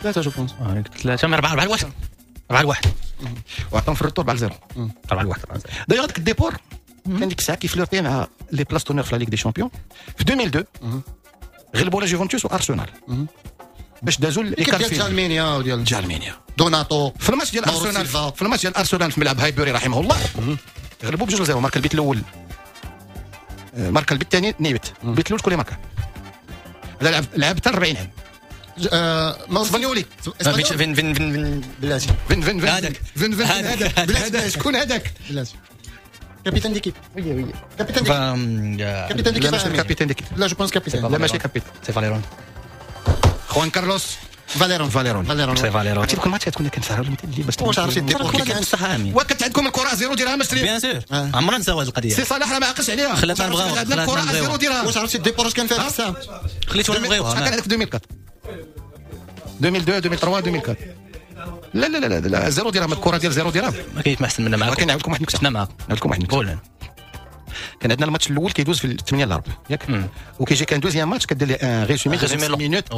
3 je pense. 3 4 4 1 4 1 وعطاهم في ال retour 4 0 4 1. دايوغ هذاك الديبور كان ديك الساعة كي flirter مع les places d'honneur في la Ligue des Champions. في 2002 غلبوا لا جوفنتوس وارسنال باش دازوا les quarts ديال جالمينيا وديال جالمينيا دوناتو. في الماتش ديال ارسنال، في الماتش ديال ارسنال في ملعب هايبوري رحمه الله، غلبوا بجوج 0. ماركا البيت الاول، ماركا البيت الثاني نيبت. البيت الاول شكون اللي ماركا؟ هذا لعب حتى 40 عام. اسبانيولي. فين فين فين بلاتي فين فين فين فين فين هذاك شكون هذاك؟ بلاتي capitaine d'équipe. oui oui capitaine d'équipe. capitaine d'équipe. لا ماشي capitaine d'équipe. لا je pense capitaine. لا ماشي capitaine. c'est فاليرون. خوان كارلوس فاليرون. فاليرون فاليرون c'est فاليرون. عرفتي كل ماتش كنا كنسهروا مثل الليل باش واش عرفتي الديبور كي كان صح امين. وكانت عندكم الكره 0 درهم اشري. bien sûr عمرنا نساو هذه القضية. سي صلاح راه ما عقلش عليها. خلاتنا نبغيو عندنا الكره 0 درهم. واش عرفتي الديبور اش كان فيها الساعة؟ خليتونا نبغيوها. شحال كان عندك في 2004 2002 2003 2004؟ لا لا لا لا 0 درهم. الكره ديال 0 درهم ما كاينش ما احسن منا معاكم. ولكن نعاود لكم واحد النكتة. شفنا معاكم. نعاود لكم واحد النكتة. كان عندنا الماتش الاول كيدوز في 8 الاربع ياك، وكيجي كان deuxième match كدير لي un résumé de 5 minutes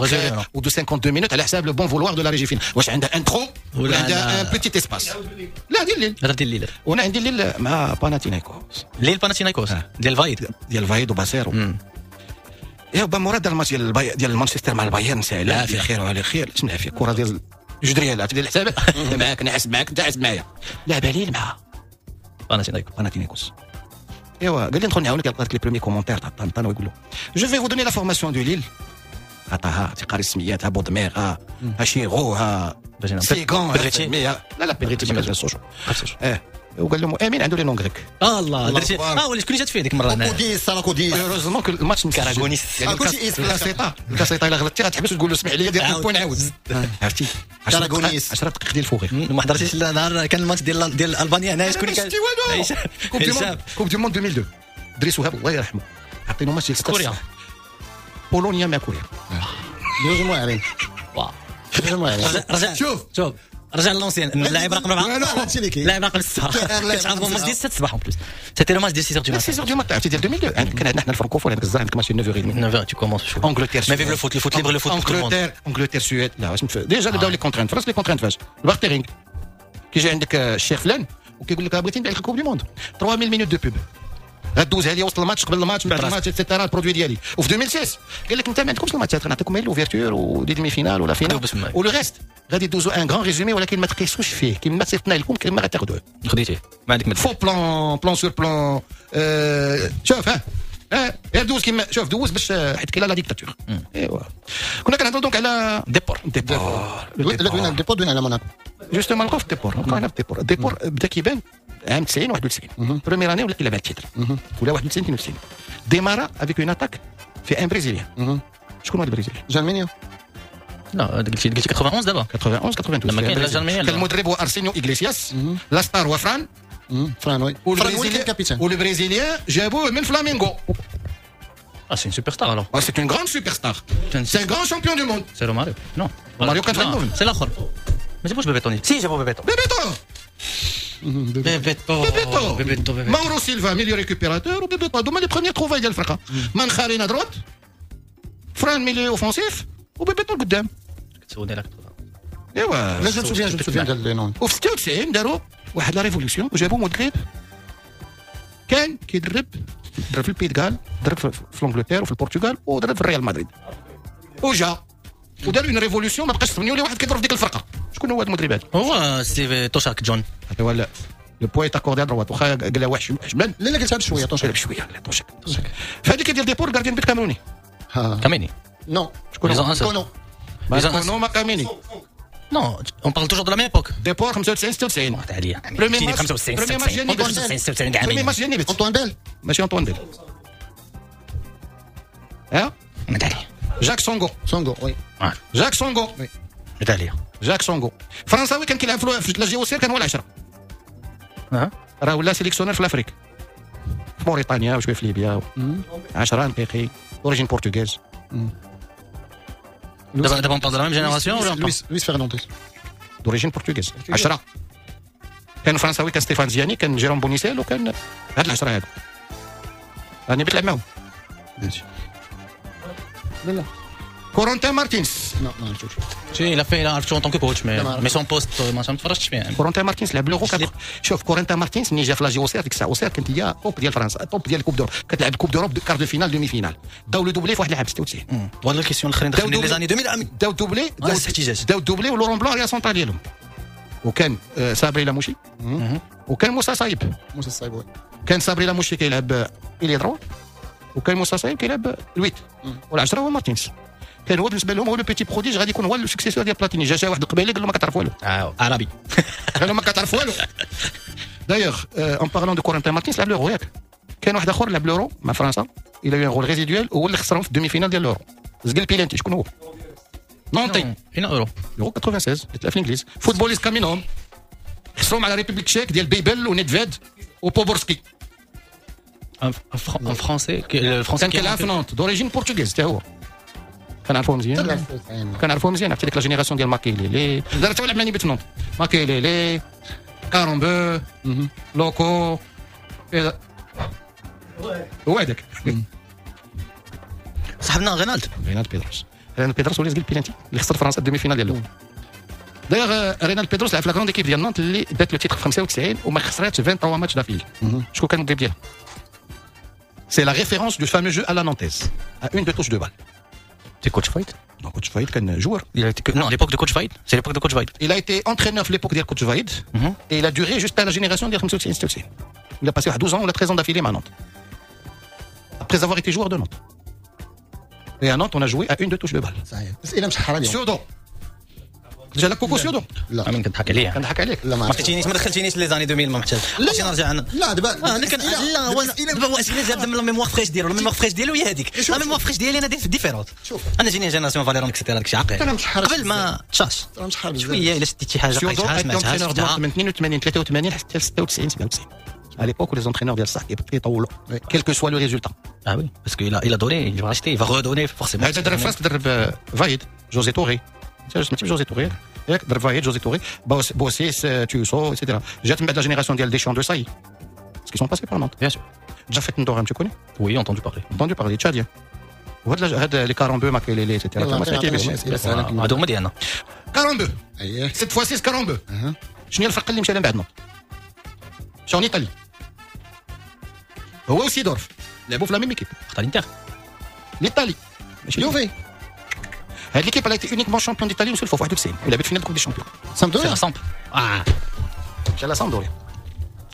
ou de 52 minutes على حساب le bon vouloir de la régie فين واش عندها intro ولا عندها un petit espace. لا ديال الليل. هذا ديال الليل. وانا عندي الليل مع باناتينايكوس. الليل باناتينايكوس ديال فايد. ديال فايد وباسيرو. يا با مراد الماتش ديال مانشستر مع البايرن ساهل خير وعلى خير. شنو العافية الكره ديال جوج ريال عرفتي ديال الحساب معاك انا حاسب معاك انت حاسب معايا. لعب ليل مع باناتينايكوس. ايوا قال لي ندخل نعاونك. لقيت les premiers commentaires تاع طنطان ويقول له je vais vous donner la formation de ليل. عطاها تيقاري السميات، ها بودمير، ها شيغو، ها سيغون، لا لا بيدريتي ما كانش سوشو. وقال لهم امين عنده les noms grecs. الله درتي ولا شكون اللي جات فيه ديك المرة؟ كوديس ساراكوديس. heureusement الماتش كاراغونيس. يعني الكاسيطه الكاسيطه الا غلطتي غتحبس وتقول له اسمح لي دير point عاود. عرفتي كاراغونيس 10 دقائق ديال ال fou rire. ما حضرتيش النهار كان الماتش ديال البانيا هنا شكون كان؟ Coupe du monde 2002 دريس وهاب الله يرحمه عطينا ماتش ديال كوريا، بولونيا مع كوريا. جوج واعرين. رجع شوف شوف رجع l'ancien اللاعب رقم 4 اللاعب رقم 6 كتعرفوا الماتش ديال 6 الصباح en plus c'était le match ديال 6 du 6 du matin عرفتي ديال 2002 كان عندنا حنا الفرنكوفون عندك الزهر عندك ماتش 9h30 9h tu commences chaud Angleterre mais vive le foot le foot libre le foot Angleterre Angleterre Suède لا واش déjà بداو les contraintes فرنسا les contraintes فاش ال bartering كيجي عندك الشيخ فلان وكيقول لك بغيتي نبيع لك Coupe du monde 3000 minutes de pub غدوزها لي وسط الماتش قبل الماتش من بعد الماتش et cetera ال produit ديالي. وفي 2006 قال لك انت ما عندكمش الماتشات غنعطيكم غير l'ouverture و des demi-finales ولا finale و le reste غادي دوزو un grand résumé ولكن ما تقيسوش فيه كما صيفطنا لكم كما غتاخذوه. خديتيه ما عندك faux plan plan sur plan. شوف ها غير دوز كيما شوف دوز باش حيت كاين la dictature. ايوا كنا كنهضروا donc على ديبور. ديبور لا دوينا ديبور دوينا على موناكو justement. نبقاو في ديبور نبقاو هنا في ديبور. ديبور بدا كيبان عام 90 91 première année ولا كيلعب على ال titre ولا 91 92 démarra avec une attaque في un Brésilien. شكون هو ال Brésilien؟ جالمينيو. لا قلتي 91 دابا 91 92 لما كاين جالمينيو. كان المدرب هو ارسينيو اغليسياس، la star هو فران فران oui فران هو ال capitaine. وال Brésilien جابوه من فلامينغو. Ah, c'est une superstar alors. Ah, c'est une grande superstar. C'est un grand champion du monde. C'est Romario. Non. Romario كان في C'est l'autre. ما جابوش بيبيتو. si جابوا بيبيتو. بيبيتو بيبيتو بيبيتو بيبيتو ماورو سيلفا milieu récupérateur وبيبيتو هذوما les premières trouvailles ديال الفرقة. مانخارينا droite، فران milieu offensif وبيبيتو القدام. كتسولني على ايوا لا je souviens je souviens ديال les noms. وفي 96 داروا واحد la révolution وجابوا مدرب كان كيدرب درب في ال Pays de Galles، درب في انجلترا وفي البرتغال ودرب في الريال مدريد وجا ودار une révolution ما بقاش سميو لي واحد كيضرب في ديك الفرقة. شكون هو هذا المدرب هذا؟ هو ستيف توشاك جون. هذا هو le point accordé à droite واخا قال لها واحد حشمان. لا لا قلتها بشوية توشاك بشوية لا توشاك. فهذيك ديال ديبور gardien but كاميروني. كاميني non شكون هو؟ كونو كونو ما كاميني. Non, on parle toujours de la même époque. ديبور 95 96. عليا. Premier match 95 premier match ديال نيبت. 96 premier match ديال نيبت. انطوان بيل. ماشي انطوان بيل. ها عليا. جاك سونغو. سونغو oui. جاك سونغو. oui عليا. جاك سونغو فرنساوي كان كيلعب في la JOCR، كان هو العشرة. راه ولا sélectionneur في l'Afrique، في موريتانيا وشوية في ليبيا. 10 نقيقي d'origine portugaise. دابا on parle de la même génération ولا لويس فرنانديز d'origine portugaise 10. كان فرنساوي، كان ستيفان زياني، كان جيروم بونيسيل، وكان هاد العشرة هادو راني بتلعب معاهم. لا لا. كورونتين مارتينس. لا ما عرفتوش. Si, il a fait, il a en tant que coach, mais son poste, ما تفرجتش فيه. كورونتين مارتينس لعب l'Euro. شوف كورونتين مارتينس ملي جا في la JOCR، ديك الساعة OCR كانت هي top ديال فرنسا، top ديال Coupe d'Europe، كتلعب Coupe d'Europe quart de finale، demi-finale، داو le doublé في واحد العام 96. وهاد ال questions الاخرين دخلني les années 2000. داو doublé، داو doublé ولورون بلون arrière central ديالهم، وكان صابري لاموشي وكان موسى صايب. موسى صايب oui. كان صابري لاموشي كيلعب ailier droit، وكان موسى صايب كيلعب ال huit، والعشرة هو مارتينس. كان هو بالنسبة لهم هو le petit prodige، غادي يكون هو le successeur ديال بلاتيني. جا واحد القبيلة قال له ما كتعرف والو. عربي. قال له ما كتعرف والو. D'ailleurs, en parlant de كورنتين مارتينس، لعب l'Euro ياك؟ كان واحد اخر لعب l'Euro مع فرنسا، il a eu un rôle résiduel، هو اللي خسرهم في ال demi-finale ديال l'Euro، زقل بيلانتي. شكون هو؟ نونتي. فين Euro؟ l'Euro 96 اللي تلعب في الانجليز. footballiste كامينهم خسروا مع la République tchèque ديال بيبل ونيدفيد وبوبورسكي. Un Français ال Français كان كيلعب في نونت، d'origine portugaise حتى هو. كنعرفوه مزيان، كنعرفوه مزيان. عرفتي ديك la génération ديال ماكيليلي دار حتى لعب مع نيبت نونت، ماكيليلي، كارومبو، لوكو، هو هذاك صاحبنا رينالد. رينالد بيدروس. رينالد بيدروس هو اللي زقل بيلانتي اللي خسر فرنسا ال demi-finale ديال l'Euro. D'ailleurs رينالد بيدروس لعب في la grande équipe ديال نانت اللي دات le titre في 95 وما خسراتش 23 matchs d'affilée. شكون كان المدرب ديالها؟ C'est la référence du fameux jeu à la nantaise, à une deux touches de balle. C'est coach Vahid. Non, coach Vahid كان joueur. Il a été que... Non, à l'époque de coach Vahid. C'est l'époque de coach Vahid. Il a été entraîneur à l'époque de coach Vahid et il a duré jusqu'à la génération de 95. Il a passé 12 ans ou 13 ans d'affilée à Nantes. Après avoir été joueur de Nantes. Et à Nantes, on a joué à une deux touches de balle. صحيح. اسئلة مشحره اليوم. سيودو. جا لك كوكو سيودو. لا. امين كنضحك عليا. كنضحك عليك. لا ما ما عرفتينيش، ما دخلتينيش les années 2000، ما محتاج. لا نرجع انا. لا دابا لا هو دابا هو اسئلة جاب la mémoire fraîche ديالو، la mémoire fraîche ديالو هي هذيك، la mémoire fraîche ديالي انا différente. شوف انا جيني génération فاليرون et cetera، داكشي عاقل انا مشحر قبل ما تشاش انا مشحر بزاف شوية الا شديت شي حاجة قريتها سمعتها. من 82 83 حتى 96 97، à l'époque où les entraîneurs ديال الصح كيطولوا quel que soit le résultat. Ah oui, parce qu'il a, il a donné, il va racheter, il va redonner forcément. هذا درب فرنسا، درب فايد، جوزي توري. سمعتي جوزي توري ياك؟ درب فايد، جوزي توري، بوسيس، توسو et cetera. جات من بعد la génération ديال ديشون، دو ساي، parce qu'ils sont passés par Nantes. Bien sûr. جافيت ندورام، tu connais؟ Oui, entendu parler. Entendu parler، tchadien. وهاد هاد les كارامبو، ماكيليلي et cetera. ما سمعتي بهم؟ هادو هما ديالنا. كارامبو. اييه. cette fois-ci كارامبو. شنو هي الفرقة اللي مشى لها من بعد نونت؟ مشى en Italie. هو وسيدورف لعبوا في la même équipe. اختار الانتر. l'Italie. ماشي يوفي. هاد l'équipe a été uniquement championne d'Italie une seule fois في 91 ولعبت finale Coupe des champions. سامدوريا. سامب اه مشى لا سامدوريا.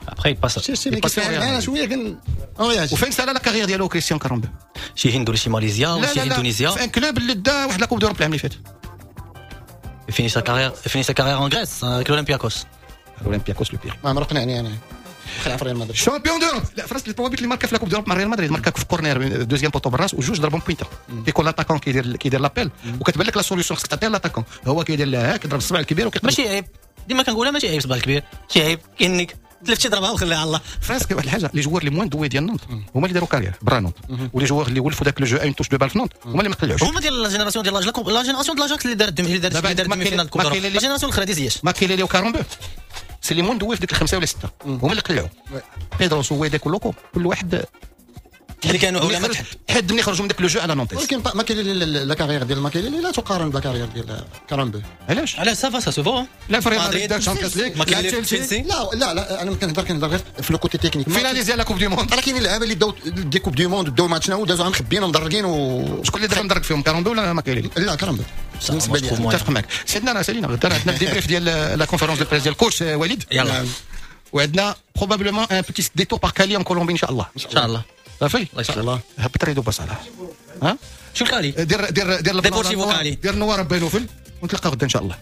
Après il passe. شي شي انا شوية كن وفين سالا la carrière ديالو كريستيان كارامبو؟ شي هند ولا شي ماليزيا ولا شي اندونيسيا. في un club اللي دا واحد la Coupe d'Europe العام اللي فات. Il finit sa carrière, il finit sa carrière en Grèce avec l'Olympiakos. L'Olympiakos le Pirée. ما قنعني انا. خلع في ريال مدريد. Champion d'Europe. لا فراسك les buts اللي ماركا في la Coupe d'Europe مع ريال مدريد، ماركا في corner deuxième poteau بالراس وجوج ضربهم pointe. كيكون l'attaquant كيدير l'appel وكتبان لك la solution خصك تعطيها l'attaquant، هو كيدير لها كيضرب الصبع الكبير وكيقلب. ماشي عيب، ديما كنقولها ماشي عيب الصبع الكبير، ماشي عيب كاينك تلفتي ضربها وخليها على الله. فراسك واحد الحاجة، les joueurs les moins doués ديال نونت هما اللي داروا carrière برا نونت، و les joueurs اللي ولفوا داك le jeu une touche de balle في نونت هما اللي ما قلعوش. هما ديال la génération ديال la génération ديال l'Ajax اللي دارت demi-finale Coupe la génération الاخرى ديال زياش. ماكيليلي وكارومبو c'est les moins doués في ديك الخمسة ولا ستة، هما اللي قلعوا. بيدروس ويداك ولوكو كل واحد اللي كانوا علماء حد ملي خرجوا من داك le jeu à la nantaise. ولكن ماكيليلي la carrière ديال ماكيليلي لا تقارن ب la carrière ديال كارامبو. علاش؟ علاش؟ ça va، ça se vaut. لا في ريال مدريد دار Champions League. ماكيليلي تشيلسي. لا لا لا، انا كنهضر غير في le côté technique. Finaliste ديال la Coupe du monde. راه كاينين اللعابه اللي داو des Coupes du monde، داو ماتشنا ودازوا مخبيين ومدرقين و شكون اللي دار مدرق فيهم، كارامبو ولا ماكيليلي؟ لا كارامبو بالنسبة لي. متفق معك سيدنا. راه سالينا، غدا عندنا ال débrief ديال la conférence de presse ديال coach وليد. يلا. وعندنا probablement un petit détour par Cali en Colombie ان شاء الله. ان شاء الله. صافي. الله يسلمك. الله. هبط ريدو بصلاح ها شو الكالي؟ دير دير دير ديبورتيفو كالي. دير نوار بينوفل ونتلقاو غدا ان شاء الله.